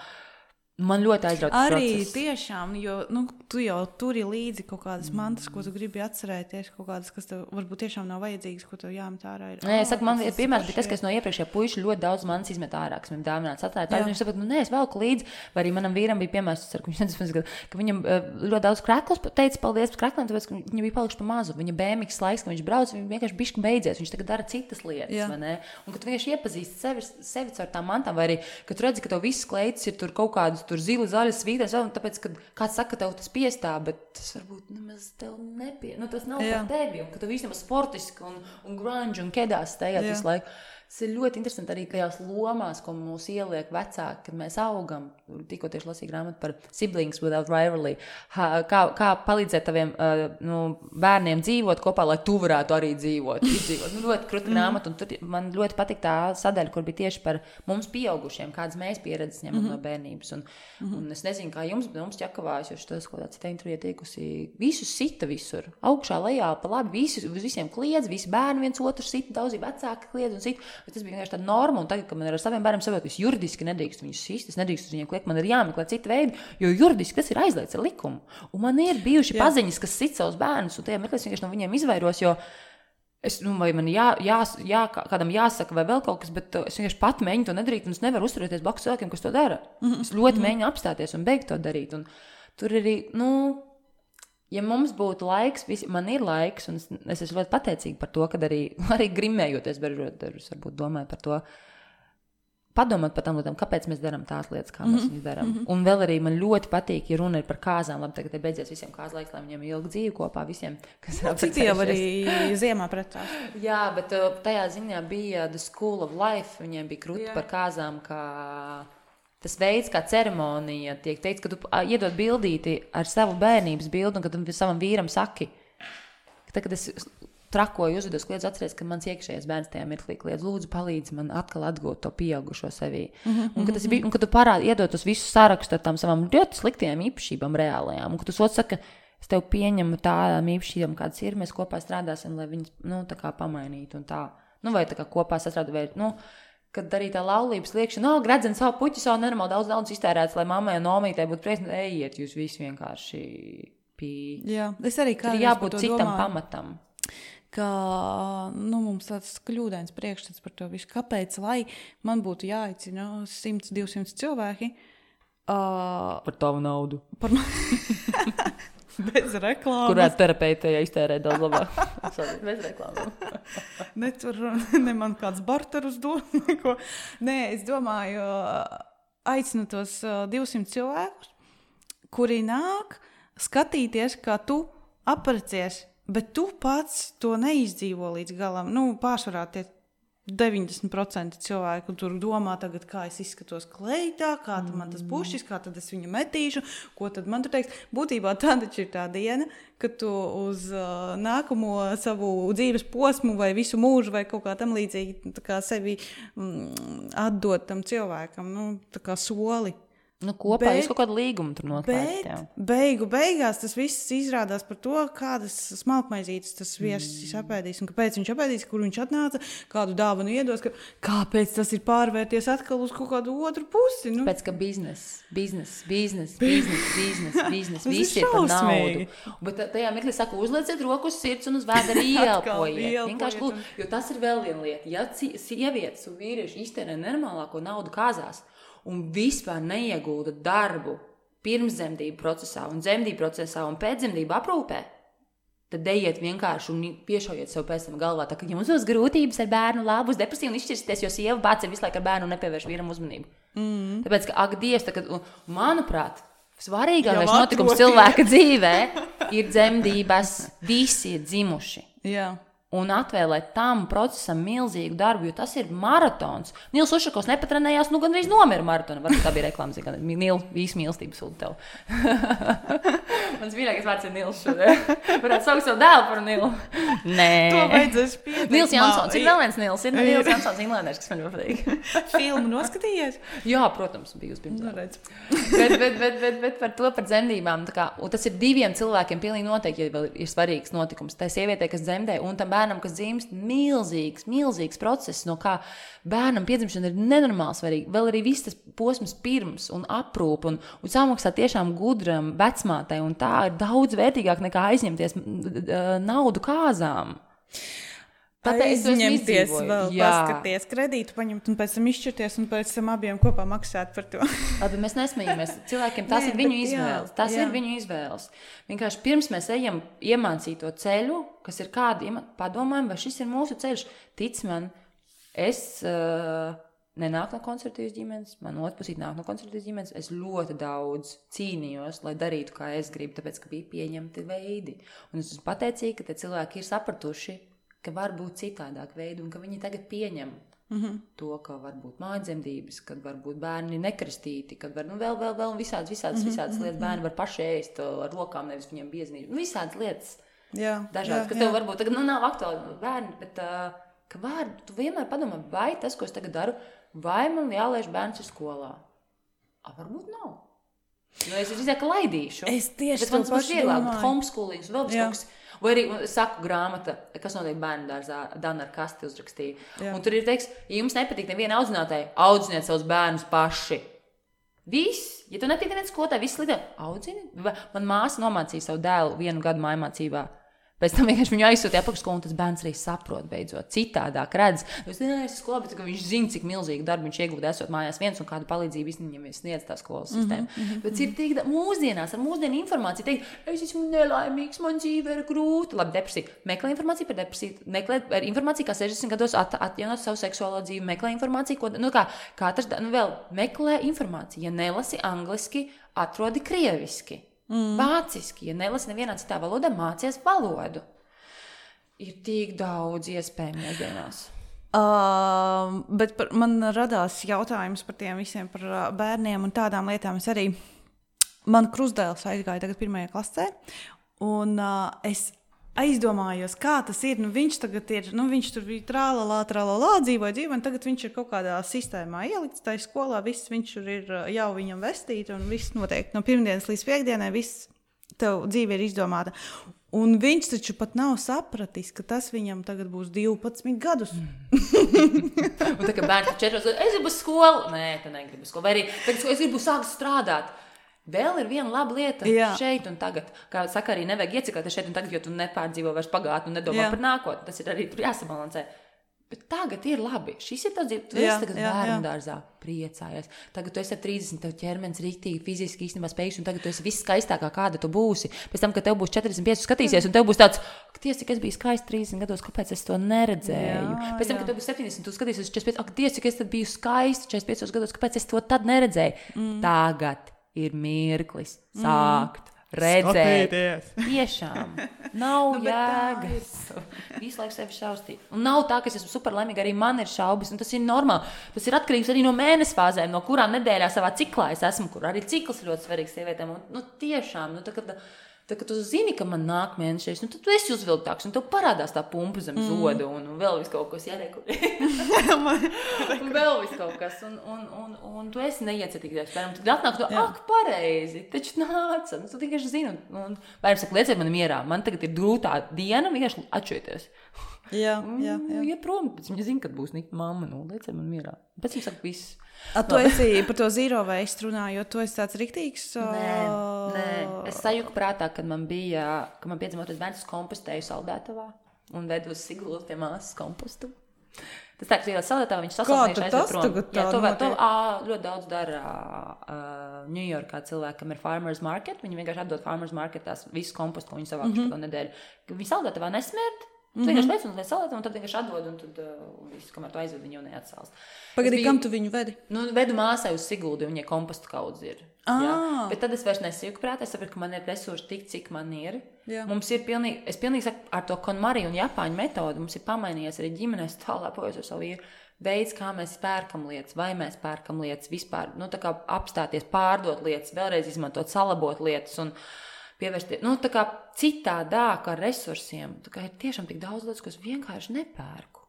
Man ļoti aizrauc tas arī process. Tiešām, jo nu, tu jau turi līdzi kaut kādas mantas, ko tu gribi atcerēties, kaut kādas, kas tev varbūt tiešām nav vajadzīgas, ko tev jāmet ārā. Ir. Nē, es saku, man piemērs bija tas, ka es no iepriekšējā puiša ļoti daudz manas izmet ārā, kas man dāvināts atstāt. Tā viņš saprot, nu nē, es velku līdzi, vai arī manam vīram bija piemērs, ka viņš nezinu, ka viņam ļoti daudz krekls teica paldies par krekliem, tāpēc, ka viņa bija palikuši pa mazu. Viņa bēmiks laiks, ka viņš brauc, viņa vienkārši bišķi beidzies, viņš tagad dara citas lietas, vai ne? Un ka tu vienkārši iepazīsti sevi, sevi caur tām mantām, vai arī, ka tu redzi, ka tev visas kleitas ir tur kaut kādas tur zili, zaļas vītēs, un tāpēc, kad kāds saka, ka tev tas piestāv, bet tas varbūt nemaz tev nepie... Nu, tas nav Jā. Par tevi, un ka tu visam sportiski un, un grunge un kedās steigāt visu laiku. Tas ir ļoti interesanti arī tajās lomās, ko mūs ieliek vecāki, kad mēs augam. Tikko tieši lasīju grāmatu par siblings without rivalry. Ha, kā, kā palīdzēt taviem uh, nu, bērniem dzīvot kopā, lai tu varētu arī dzīvot. Izdzīvot. Nu, ļoti kruta grāmata, un tur man ļoti patīk tā sadaļa, kur bija tieši par mums pieaugušiem, kādas mēs pieredzes ņemam mm-hmm. no bērnības. Un, mm-hmm. un es nezinu, kā jums, bet mums ķekavājas, jo šitas, ko tā cita intervija tiekusi, visus sita visur. Augšā, lejā, pa labi, visus, visiem kliedz, visi bērni viens otru sita, daudzi vecāki kliedz un sita. Bet tas bija vienkārši tāda norma, un tagad, kad man ar saviem bērniem saprot, ka es juridiski nedrīkst viņus sist, es nedrīkst uz viņiem kliegt, man ir jāmeklē cita veida, jo juridiski tas ir aizliegts ar likumu. Un man ir bijuši Jā. Paziņas, kas sit savus bērnus, un tajā meklēs vienkārši no viņiem izvairos, jo es, nu, vai man jā, jā, jā, kādam jāsaka vai vēl kaut kas, bet es vienkārši pat mēģinu to nedarīt, un es nevaru uzturēties blakus cilvēkiem, kas to dara. Mm-hmm. Es ļoti mm-hmm. mēģinu apstāties un beigt to darīt, un tur arī, nu, ja mums būtu laiks, visi, man ir laiks, un es, es esmu ļoti pateicīga par to, kad arī, arī grimējoties, beržot, varbūt domāju par to, padomāt par tām lietām, kāpēc mēs darām tās lietas, kā mēs viņus darām. Mm-hmm. Un vēl arī man ļoti patīk, ja runa ir par kāzām, labi, tagad ir beidzies visiem kāzlaiks, lai viņiem ilgi dzīvi kopā, visiem, kas ir apcīti jau arī ziemā pretās. Jā, bet tajā ziņā bija The School of Life, viņiem bija krūti par kāzām, kā... Tas veids, kā ceremonija tiek teikts, ka tu iedod bildīti ar savu bērnības bildi un kad tu savam vīram saki. Tad, kad es trakoju, uzvedos, kliedzu, atceries, ka mans iekšējais bērns tajā mirklī kliedz, lūdzu, palīdzi man atkal atgūt to pieaugušo sevī. Mm-hmm. Un, kad tas bija, un kad tu parādi, iedod tos visus sārakstus ar tām savām ļoti sliktajām īpašībām reālajām, un kad tu sots saka, es tev pieņemu tādām īpašībām, kādas ir, mēs kopā strādāsim, lai viņas, nu, tā kā pamainītu un tā. Nu, vai tā kā kopā sastrādu, vai, nu, kad arī tā laulības liekšana, no, gredzen savu puķi, savu nenormāli daudz daudz iztērēts, lai mammai un omītei būtu prieks, ejiet, jūs visi vienkārši pī. Jā, es arī kādreiz jābūt citam domāju, pamatam. Ka, nu, mums tāds kļūdains priekšstats par to visu. Kāpēc, lai man būtu jāaicina simt divsimt cilvēki? Uh, par tavu naudu. Par Bez reklāmas. Kurā terapeitē iztērē daudz labāk. Bez reklāmas. Ne tur, ne man kāds barterus dod. Neko. Nē, es domāju, aicinu tos divsimt cilvēkus, kuri nāk skatīties, kā tu aprecies, bet tu pats to neizdzīvo līdz galam. Nu, pārsvarā tie deviņdesmit procenti cilvēku tur domā tagad, kā es izskatos kleitā, kā tad man tas pušis, kā tad es viņu metīšu, ko tad man tur teiks. Būtībā tā taču ir tā diena, kad tu uz uh, nākamo savu dzīves posmu vai visu mūžu vai kaut kā tam līdzīgi tā kā sevi mm, atdot tam cilvēkam, nu, tā kā soli. Nu, kopā bet, jūs kaut kādu līgumu tur noslēgt. Bet beigu beigās tas viss izrādās par to, kādas smalkmaizītes tas viesis mm. apēdīs un kāpēc viņš apēdīs, kur viņš atnāca, kādu dāvanu iedos, ka, kāpēc tas ir pārvērties atkal uz kaut kādu otru pusi. Nu? Pēc, ka biznes, biznes, biznes, biznes, biznes, biznes, viss ir par naudu. Bet tajā mirklī saku, uzlieciet roku uz sirds un uz vēdera ielpojiet. Vienkārši lūd, jo tas ir vēl viena lieta. Ja sievietes un vīrieši iztērē nenormālāko naudu kāzās, un vispār neiegulda darbu pirms dzemdību procesā un dzemdību procesā un pēc dzemdību aprūpē, tad ejiet vienkārši un piešaujiet sev pēc tam galvā, tā, ka jums būs grūtības ar bērnu, labi, būs depresija un izšķirsties, jo sieva bāc ir visu laiku ar bērnu un nepievērš vīram uzmanību. Mm. Tāpēc, ka, ak, Dievs, tā, kad, manuprāt, svarīgākais notikums cilvēka dzīvē ir dzemdības, visi ir dzimuši. Jā. Un atvēlēt tam procesam milzīgu darbu, jo tas ir maratons. Nils Ušakovs nepatrenējās, nu gandrīz nomira maratonu. Varbūt tā bija reklāmas, gan Nils, visi mīlestības sūta tev. Mans mīļākais vārds ir Nils šodien. Varētu saukt savu dēlu par Nilu. Nē. To vajadzēs pieteikt. Nils Jansons. Ir vēl viens Nils. Ir Nils Jansons Inglēnērs, kas man ļoti patīk. Filmu noskatījies? Jā, protams, biju uz pirms. bet, bet, bet, bet, bet par to par dzemdībām. Tā kā, un tas ir diviem cilvēkiem pilnīgi noteikti, ja vēl ir svarīgs notikums. Tā sievietē, kas dzemdē, un tam bērnam, kas dzimst, milzīgs, milzīgs process, no kā bērnam piedzimšana ir nenormāli svarīga. Vēl arī viss tas posms pirms un aprūp un, un samaksā tiešām gudram vecmātei, un tā ir daudz vērtīgāk nekā aizņemties naudu kāzām. Tāpēc aizņemties vēl, jā. Paskaties, kredītu paņemt un pēc tam izšķirties un pēc tam abiem kopā maksāt par to. Labi, mēs nesmējamies. Cilvēkiem tas Nē, ir viņu bet, izvēles. Tas jā. ir viņu izvēles. Vienkārši pirms mēs ejam iemācīt to ceļu, kas ir kādi, padomājam, vai šis ir mūsu ceļš. Tic man, es uh, nenāku no konservatīvas ģimenes, man otpusīt nāk no konservatīvas ģimenes, es ļoti daudz cīnījos, lai darītu, kā es gribu, tāpēc, ka bija pieņemti veidi. Un es esmu pateicīga, ka te cilvēki ir sapratuši, ka var būt citādāk veidi un ka viņi tagad pieņem mm-hmm. to, ka var būt mājdzemdības, kad var būt bērni nekristīti, kad var, nu, vēl, vēl, vēl visādas, visādas, mm-hmm. visādas lietas. Bērni var paši ēst ar rokām, nevis viņiem bieznīt. Nu, visādas lietas. Jā, dažādas, jā, kas jā. tev varbūt tagad, nu, nav aktuāli bērni, bet, uh, ka var, tu vienmēr padomā, vai tas, ko es tagad daru, vai man jālaiž bērns uz skolā? A, varbūt nav. Nu, es izsaka, ka laidīšu. Es tieši bet man būs vieglāk, bet homeschoolings, vēl bez kaut kas. Vai arī saku grāmata, kas notiek bērnu dārzā, Dana ar kasti uzrakstīja. Jā. Un tur ir teiks, ja jums nepatīk neviena audzinātāja, audziniet savus bērnus paši. Viss. Ja tu nepatīk neviens skolotāji, viss lidē, audzini. Man māsa nomācīja savu dēlu vienu gadu mājmācībā. Pēc tam vienkārši viņu aizsūtīja apakšskolu, un tas bērns arī saprot beidzot. Citādāk redz. Es nezinu, es skolā, bet viņš zina, cik milzīgu darbu viņš iegūda esot mājās viens un kādu palīdzību viņam sniedz tā skolas sistēma. Mm-hmm. Bet ir tik mūsdienās ar mūsdienu informāciju teikt, es esmu nelaimīgs, man dzīve ir grūta. Labi, depresija. Meklē informāciju par depresiju. Meklē informāciju, kā sešdesmit gados at, atjaunot savu seksuālo dzīvi. Meklē informāciju, ko, nu kā, katrs, nu vēl, meklē informāciju. Ja nelasi angliski, atrodi krieviski. Mm. Vāciski, ja nelasi nevienā citā valodā, mācies valodu. Ir tik daudz iespēju mūsdienās. Uh, bet par, man radās jautājums par tiem visiem, par uh, bērniem un tādām lietām. Es arī, man krustdēls aizgāja tagad pirmajā klasē, un uh, es aizdomājos, kā tas ir. Nu, viņš tagad ir, nu, viņš tur bija trālalā, trālalā, dzīvoja dzīvo, un tagad viņš ir kaut kādā sistēmā ielikts, tā skolā, viss viņš ir jau viņam vestīti, un viss notiek no pirmdienas līdz piekdienai, viss tev dzīve ir izdomāta. Un viņš taču pat nav sapratis, ka tas viņam tagad būs divpadsmit gadus. Un tā kā bērns četros gadus, es gribu skolu. Nē, tā negribu skolu. Vai arī, tagad es gribu sākt strādāt. Vēl ir viena laba lieta Jā. šeit un tagad. Kā saka, arī nevajag iecikāties šeit un tagad, jo tu nepārdzīvo vairs pagātni un nedomā Jā. par nākotni. Tas ir arī tur jāsabalansē. Bet tagad ir labi. Šis ir tas dzīve. Tu jā, esi tagad jā, bērnu jā. dārzā priecājies. Tagad tu esi ar trīsdesmit, tev ķermenis rīktīgi, fiziski īstenībā spējuši, un tagad tu esi viss skaistākā, kāda tu būsi. Pēc tam, kad tev būs četrdesmit pieci skatīsies, un tev būs tāds, Dievs, cik es biju skaisti trīsdesmit gados, kāpēc es to neredzēju? Jā, Pēc tam, jā. kad tev būs septiņdesmit, tu skatīsies četrdesmit pieci, ak, Dievs, cik es tad biju skaisti četrdesmit piecos gados, kāpēc es to tad neredzēju? Mm. Tagad ir mirklis sākt. Mm. Redzēt, Skatīties. Tiešām nav nu, jēgas. Visu laiku sevi šaustīt. Un nav tā, ka es esmu super laimīga, arī man ir šaubas, un tas ir normāli. Tas ir atkarīgs arī no mēnesi fāzēm, no kurām nedēļā savā ciklā es esmu, kur arī cikls ir ļoti svarīgs sievietēm. Un, nu, tiešām, nu, tā, kad, tā, kad tu zini, ka man nāk mēnešais, nu, tad tu esi uzvilktāks, un tev parādās tā pumpa zem mm. zoda, un, un vēl vis kaut kas jārēku. un vēl vis kaut kas, un, un, un, un tu esi neiecietīgais. Tad atnāk to, ak, pareizi, taču nāca. Nu, tu vienkārši zini, un, un bērns saka, lieciet mani mierā, man tagad ir grūtā diena, vienkārši atšķirties. Jā, jā, jā. Ja prom, pēc viņa zina, kad būs nikta mamma, nu, lieciet mani mierā. Pēc viņa saka, viss. A, tu esi par to zero waste runājot, tu esi tāds riktīgs? Nē, nē. Es sajuku prātā, kad man bija, kad man piedzimoties bērns, kompostēju saldētavā un vedu uz Sigulu pie māsas kompostu. Tas tā, ka ielās salatā viņš sasaucījuši aizved prom. Jā, to, vēl, to ā, ļoti daudz dara uh, Ņujorkā cilvēkam ir farmers market. Viņi vienkārši atdod farmers market tās visu kompostu, ko viņi savākuši mm-hmm. to nedēļu. Viņi salatā nesmērd. Tu mm-hmm. vienkārši lēc un lēc salātu, un tad vienkārši atdod, un tad uh, visu, kamēr tu aizved, viņi jau neatsāls. Pagadi, kam tu viņu vedi? Nu, vedu māsai uz Siguldi, un viņai kompostu kaudz ir. Ah. Jā. Bet tad es vairs nesīju prāt, es saprotu, ka man ir resursi tik, cik man ir. Jā. Mums ir pilnīgi, es pilnīgi saku, ar to KonMari un Japāņu metodu, mums ir pamainījies arī ģimenēs tālāk pojas ar savu vīru. Veids, kā mēs pērkam lietas, vai mēs pērkam lietas vispār, nu, tā kā apstāties, pārdot lietas, vēlreiz izmantot, salabot lietas un pievērsties, nu, tā kā citādāk ar resursiem. Tā kā ir tiešām tik daudz lietas, ko es vienkārši nepērku.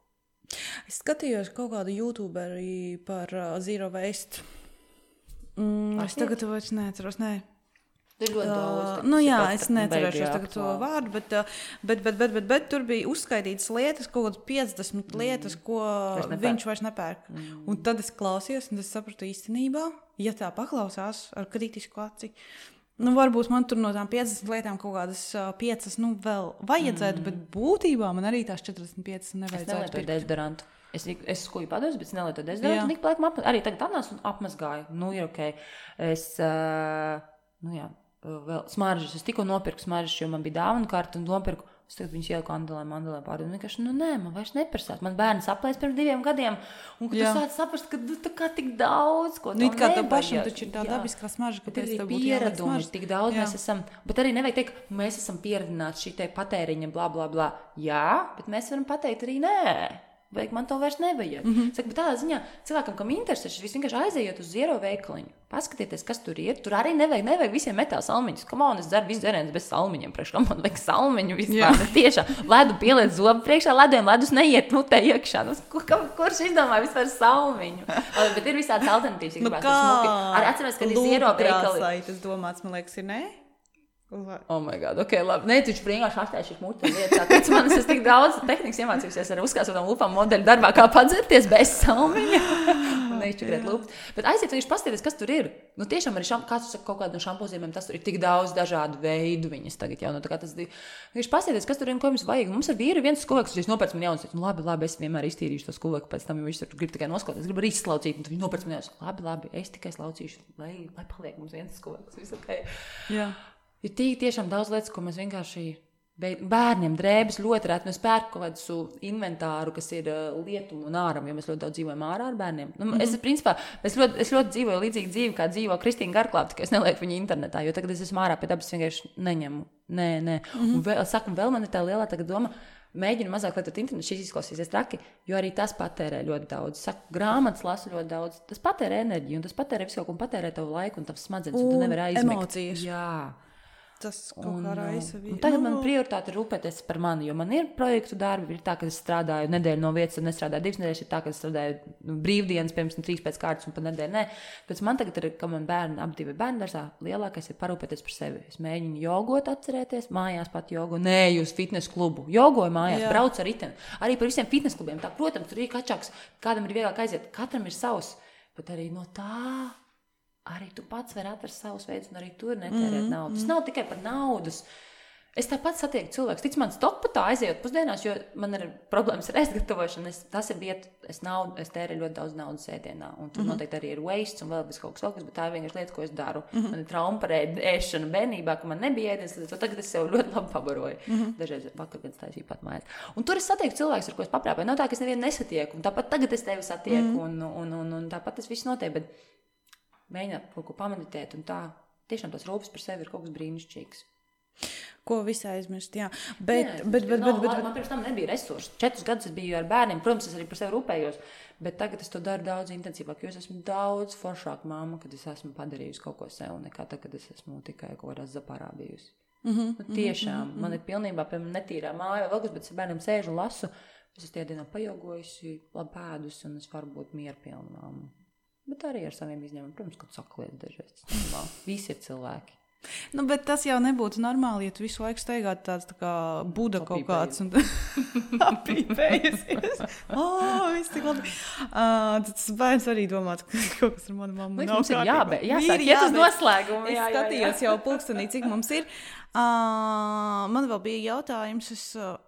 Es skatījos kaut kādu youtuberi par uh, Zero Waste. Mm, es tagad vairs neatceros, nē. Ir ļoti daudz. Uh, nu jā, es neatcerēšos tagad to vārdu, bet, bet, bet, bet, bet, bet tur bija uzskaitītas lietas, kaut kādas piecdesmit lietas, ko vairs viņš vairs nepērk. Mm. Un tad es klausījos, un es sapratu īstenībā, ja tā paklausās ar kritisku aci, nu varbūt man tur no tām piecdesmit lietām kaut kādas piecas, nu vēl vajadzētu, mm. bet būtībā man arī tās četrdesmit piecas nevajadzētu. Es nelietoju dezodorantu. Es, es skuju pados, bet es nelietoju dezodorantu, un ik pa laikam apmaz, arī tagad atnācu un apmazgāju. Nu ir ok. Es, uh, nu jā. Vēl smaržas. Es tikko nopirku smaržas, jo man bija dāvana karta un nopirku. Es tagad viņus ieliku andelēm, andelēm pārdod. Un vienkārši, nu nē, man vairs neprasās. Man bērns aplēs pirms diviem gadiem. Un kad tu sāc saprast, ka tu tā kā tik daudz, ko nu, kā tev pašam taču ir tā dabiskā smarža, ka pēc tev būtu pieredumi, tik daudz jā. Mēs esam. Bet arī nevajag teikt, mēs esam pieredināti šī te patēriņa, blā, blā, blā. Jā, bet mēs varam pateikt arī nē. Vajag, man to vairs nevajag. Mm-hmm. Saka, bet tādā ziņā cilvēkam, kam interesē, šis vienkārši aizējot uz Zero veikaliņu. Paskatieties, kas tur ir. Tur arī nevajag, nevajag visiem metā salmiņus. Come on, es dzeru visu dzerienes bez salmiņiem. Priekš, kam man liek salmiņu vispār. Tiešām, ledu pieliec zobu priekšā, lediem ledus neiet mutē iekšā. Nu, kur, kurš izdomāja vispār salmiņu? Bet ir visādas alternatīvas. Nu kā? Arī atceros, kad ir Zero veikali. Tas domāts, man liekas, ir ne? Oh my god, ok, labi. Nē, tu vienkārši atstājušies mūtu lietas. Tāpēc man es tik daudz tehnikas iemācījusies ar uzkāsotām lupām modeļu darbā, kā padzerties bez salmiņa. Un neizčukrēt lupas. Bet aiziet, viņš paskatieties, kas tur ir. Nu tiešām arī šam, kāds saka kaut kādu šampozīmēm, tas tur ir tik daudz dažādu veidu viņas tagad jau. Nu, tā kā tas viņš paskatieties, kas tur ir un ko jums vajag. Mums ar vīru viens skuveks, viņš nopērc man jaunas. Nu labi, labi, es vienmēr iztīrīšu to skuveku, pēc tam viņš tur grib tikai nosklaut. Es gribu arī izslaucīt, un viņš nopērc man jaunas. Labi, labi, es tikai slaucīšu, lai, lai paliek mums viens skuveks. Viss ok. Jā. Ir tī, tiešām daudz lietas, ko mēs vienkārši bērniem drēbes ļoti rēt. Mēs pērku kaut kādu inventāru, kas ir uh, lietumu un āram, jo mēs ļoti daudz dzīvojam ārā ar bērniem. Nu, mm-hmm. Es, principā, es ļoti, es ļoti dzīvoju līdzīgi dzīvi, kā dzīvo Kristīna Garklāpa, tikai es nelieku viņu internetā, jo tagad es esmu ārā pie dabas vienkārši neņemu. Nē, nē. Mm-hmm. Un vēl, saku, vēl man ir tā lielā tagad doma, mēģinu mazāk lietot internetu, šis izklausīsies traki, jo arī tas patērē ļoti daudz. Saku, grāmatas lasu ļoti daudz. Tas patērē enerģiju, un tas patērē visu kaut ko, un patērē tavu laiku, un tavs smadzenes, un tu nevari aizmigt. Emocijas. Jā. Tas kaut kā raisa bija. Un tagad man prioritāte ir rūpēties par mani, jo man ir projektu darbi, ir tā, ka es strādāju nedēļu no vietas, un nestrādāju divas nedēļas, ir tā, ka es strādāju nu, brīvdienas, pirms un trīs pēc kārtas, un pa nedēļu nē. Pēc man tagad ir, ka man bērni, ap divi bērni dārzā, lielākais ir parūpēties par sevi. Es mēģinu jogot atcerēties, mājās pat jogu, nē, uz fitness klubu. Jogoju mājās, jā. Braucu ar riteni. Arī par visiem fitness klubiem. Tā, protams, tur ir kačāks, kādam ir vieglāk aiziet, katram ir savs, bet arī no tā. Arī tu pats vari atrast savus veidus, un arī tur netērēt mm, naudu. Tas mm. nav tikai par naudas. Es tāpat satieku cilvēkus. Tic man stokpatā aizejot pusdienās, jo man ir problēmas ar ēstgatavošanu. Es, tas ir vieta, es, naudu, es tērēju ļoti daudz naudas ēdienā. Un tur mm-hmm. noteikti arī ir waste un vēl bez kaut kas vēl kas, bet tā ir vienkārši lietas, ko es daru. Mm-hmm. Man ir trauma par ēšanu bērnībā, ka man nebija ēdienas, tad tagad es sev ļoti labi pabaroju. Mm-hmm. Dažreiz vakar, kad es taisīju pat mājās. Un tur es satieku cilvēkus, ar ko es paprāpēju. Nav tā, ka es nevienu nesatieku. Un tāpat tagad es tevi satieku mm-hmm. un, un, un, un tāpat tas viss notiek. Bet mēģināt kaut ko pameditēt, un tā tiešām tas rūpes par sevi ir kaut kas brīnišķīgs. Ko visai aizmirst, jā. Bet, jā, bet, bet, nav, bet, bet, man pirms tam nebija resursi. Četrus gadus es biju ar bērniem, protams, es arī par sevi rūpējos, bet tagad es to daru daudz intensīvāk, jo es esmu daudz foršāka mamma, kad es esmu padarījusi kaut ko sev, nekā tā, kad es esmu tikai kaut kādā zaparā bijusi. Mm-hmm, nu, tiešām, mm-hmm. man ir pilnībā, piemēram, netīrā māja, vēl kas, bet es ar bērniem sēžu un lasu, es esmu tie dienā pajogojusi, labi pēdus, un es varu būt mierpilna mamma. Bet arī ar saviem izņēmumiem, protams, kad saku lietas dažreiz. Visi ir cilvēki. Nu, bet tas jau nebūtu normāli, ja tu visu laiku steigātu tāds tā kā Buda kaut kāds un apīpējusies. O, viss tik labi. Uh, tas bērns arī domāt, ka kaut kas ar manu mammu nav kārtībā. Jābē, jāsāk, iet uz noslēgumu. Es jā, skatījos jā, jā. jau pulkstenī, cik mums ir. Uh, man vēl bija jautājums, es... Uh,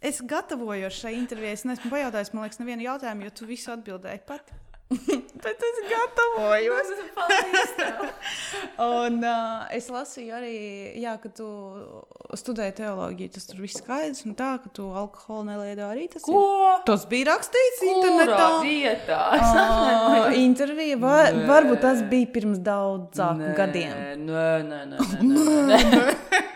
es gatavojos šai intervijai, es neesmu pajautājis, man liekas, nevienu jautājumu, jo tu visu atbildēji pati. Bet es gatavojos. Un uh, es lasīju arī, jā, ka tu studēji teoloģiju, tas tur viss skaidrs, un tā, ka tu alkoholu nelieto arī tas Ko? ir. Tas bija rakstīts internetā. Kurā vietā? Uh, intervija, var, varbūt tas bija pirms daudzāku gadiem. Nē, nē, nē, nē, nē, nē.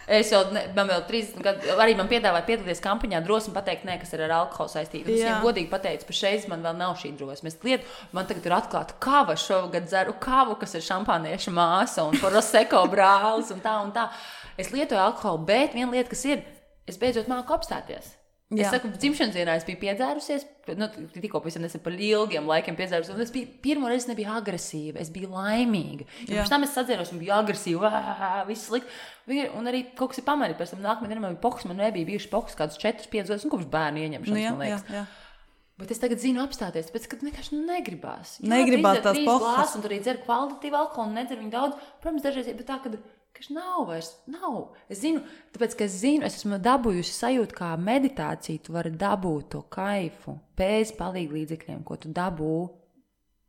Es jau, ne, man vēl trīsdesmit gadu, arī man piedāvāja piedalīties kampaņā, drosmi pateikt, nē, kas ir ar alkoholu saistība. Es viņiem godīgi pateicu, pa šeit man vēl nav šī drosme. Es lietu, man tagad ir atklāta kava, šogad dzeru kavu, kas ir šampānieša māsa un prosecco brālis un tā un tā. Es lietoju alkoholu, bet viena lieta, kas ir, es beidzot māku apstāties. Es Jā. saku, dzimšanas dienā es biju piedzērusies, nu, tikko pavisam nesen par ilgiem laikiem piedzērusies, un es biju, pirmo reizi nebiju agresīva, es biju laimīga. Jo pēc tam es sadzēros un biju agresīva, ā, viss slikt. Un arī kaut kas ir pamanīt, pēc tam nākamajā dienā man bija poks, man nebija bijuši poks kādus četrus, piecus gadus, un kopš bērnu ieņemšanas, nu, jā, man liekas. Jā, jā. Bet es tagad zinu apstāties, tāpēc, ka vienkārši nu, negribās. Jā, negribās tās pokas. Un tur arī dzer kvalitatīvu alkoholu, un nedzer viņu daudz. Protams, dažreiz, bet tā, kad Kaž nav vairs, nav. Es zinu, tāpēc, ka es zinu, es esmu dabūjusi sajūtu, kā meditācija, tu vari dabūt to kaifu bez palīga līdzekļiem, ko tu dabū,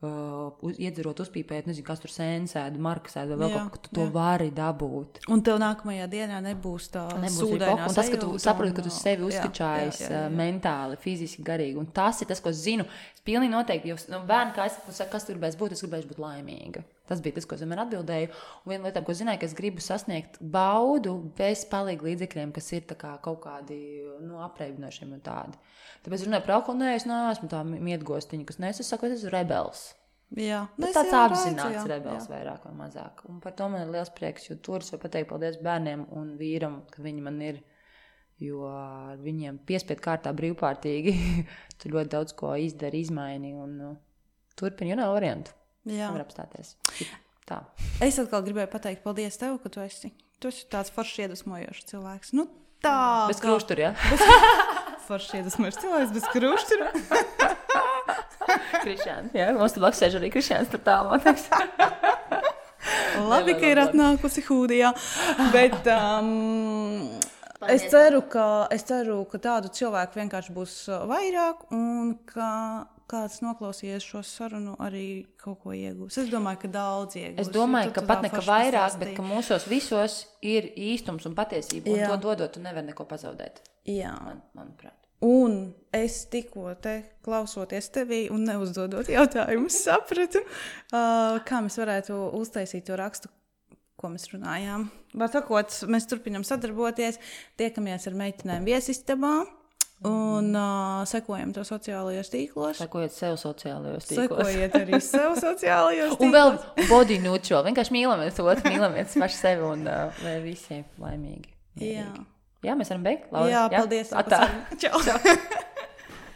uh, uz, iedzerot, uzpīpēt, nezinu, kas tur sēnsēdu, markasēdu, vai vēl kaut ko, tu to jā. vari dabūt. Un tev nākamajā dienā nebūs tā sūdainā sajūta. Un tas, ka tu saproti, ka tu sevi uzskačājies jā, jā, jā, jā. mentāli, fiziski, garīgi, un tas ir tas, ko es zinu. Es pilnīgi noteikti, jo nu, bērni, kā es saku, kas tur gribēs būt, es gribēšu būt laimīga. Tas bija tas, ko es vienmēr atbildēju. Un viena lieta, ko zināju, ka es gribu sasniegt baudu bez palīga līdzekļiem, kas ir tā kā kaut kādi nu, apreibinošiem un tādi. Tāpēc runāju par alkoholu, nē, es neesmu tā mietgostiņa, kas nes, es saku, es esmu rebels. Jā. Bet tāds apzināts jā, rebels jā. vairāk vai mazāk. Un par to man ir liels prieks, jo tur es varu pateikt paldies bērniem un vīram, ka viņi man ir, jo ar viņiem piespiedu kārtā brīvprātīgi tu ļoti daudz ko izdari, izmaini un uh, turpini, jo nav variantu. Jā. Var apstāties. Tā. Es atkal gribēju pateikt paldies tev, ka tu esi, tu esi tāds foršs iedvesmojošs cilvēks. Nu tā. Bez kruštura, jā? Bez... foršs iedvesmojošs cilvēks bez kruštura. Krišāns, jā. Mums tu blakus sēž arī Krišāns tur tā, man teiks. Labi, ka ir atnākusi Hūdijā. Bet um, es, ceru, ka, es ceru, ka tādu cilvēku vienkārši būs vairāk un ka kāds noklausījies šo sarunu arī kaut ko iegūs. Es domāju, ka daudz iegūs. Es domāju, ka pat nekā vairāk, bet ka mūsos visos ir īstums un patiesība. Un Jā. to dodot, tu nevar neko pazaudēt. Jā. Man, manuprāt. Un es tikko te klausoties tevī un neuzdodot jautājumus sapratu, uh, kā mēs varētu uztaisīt to rakstu, ko mēs runājām. Var sakot, mēs turpinām sadarboties, tiekamies ar meitenēm viesistabā. Un uh, sekojam to sociālajos tīklos. Sekojiet sev sociālajos tīklos. Sekojiet arī sev sociālajos tīklos. Un vēl body neutral. Vienkārši mīlamies otru, mīlamies paši sevi un uh, lai visi laimīgi. Jā. Jā, mēs varam beigt, Laura? Jā, paldies. Jā? Atā. Čau. Čau.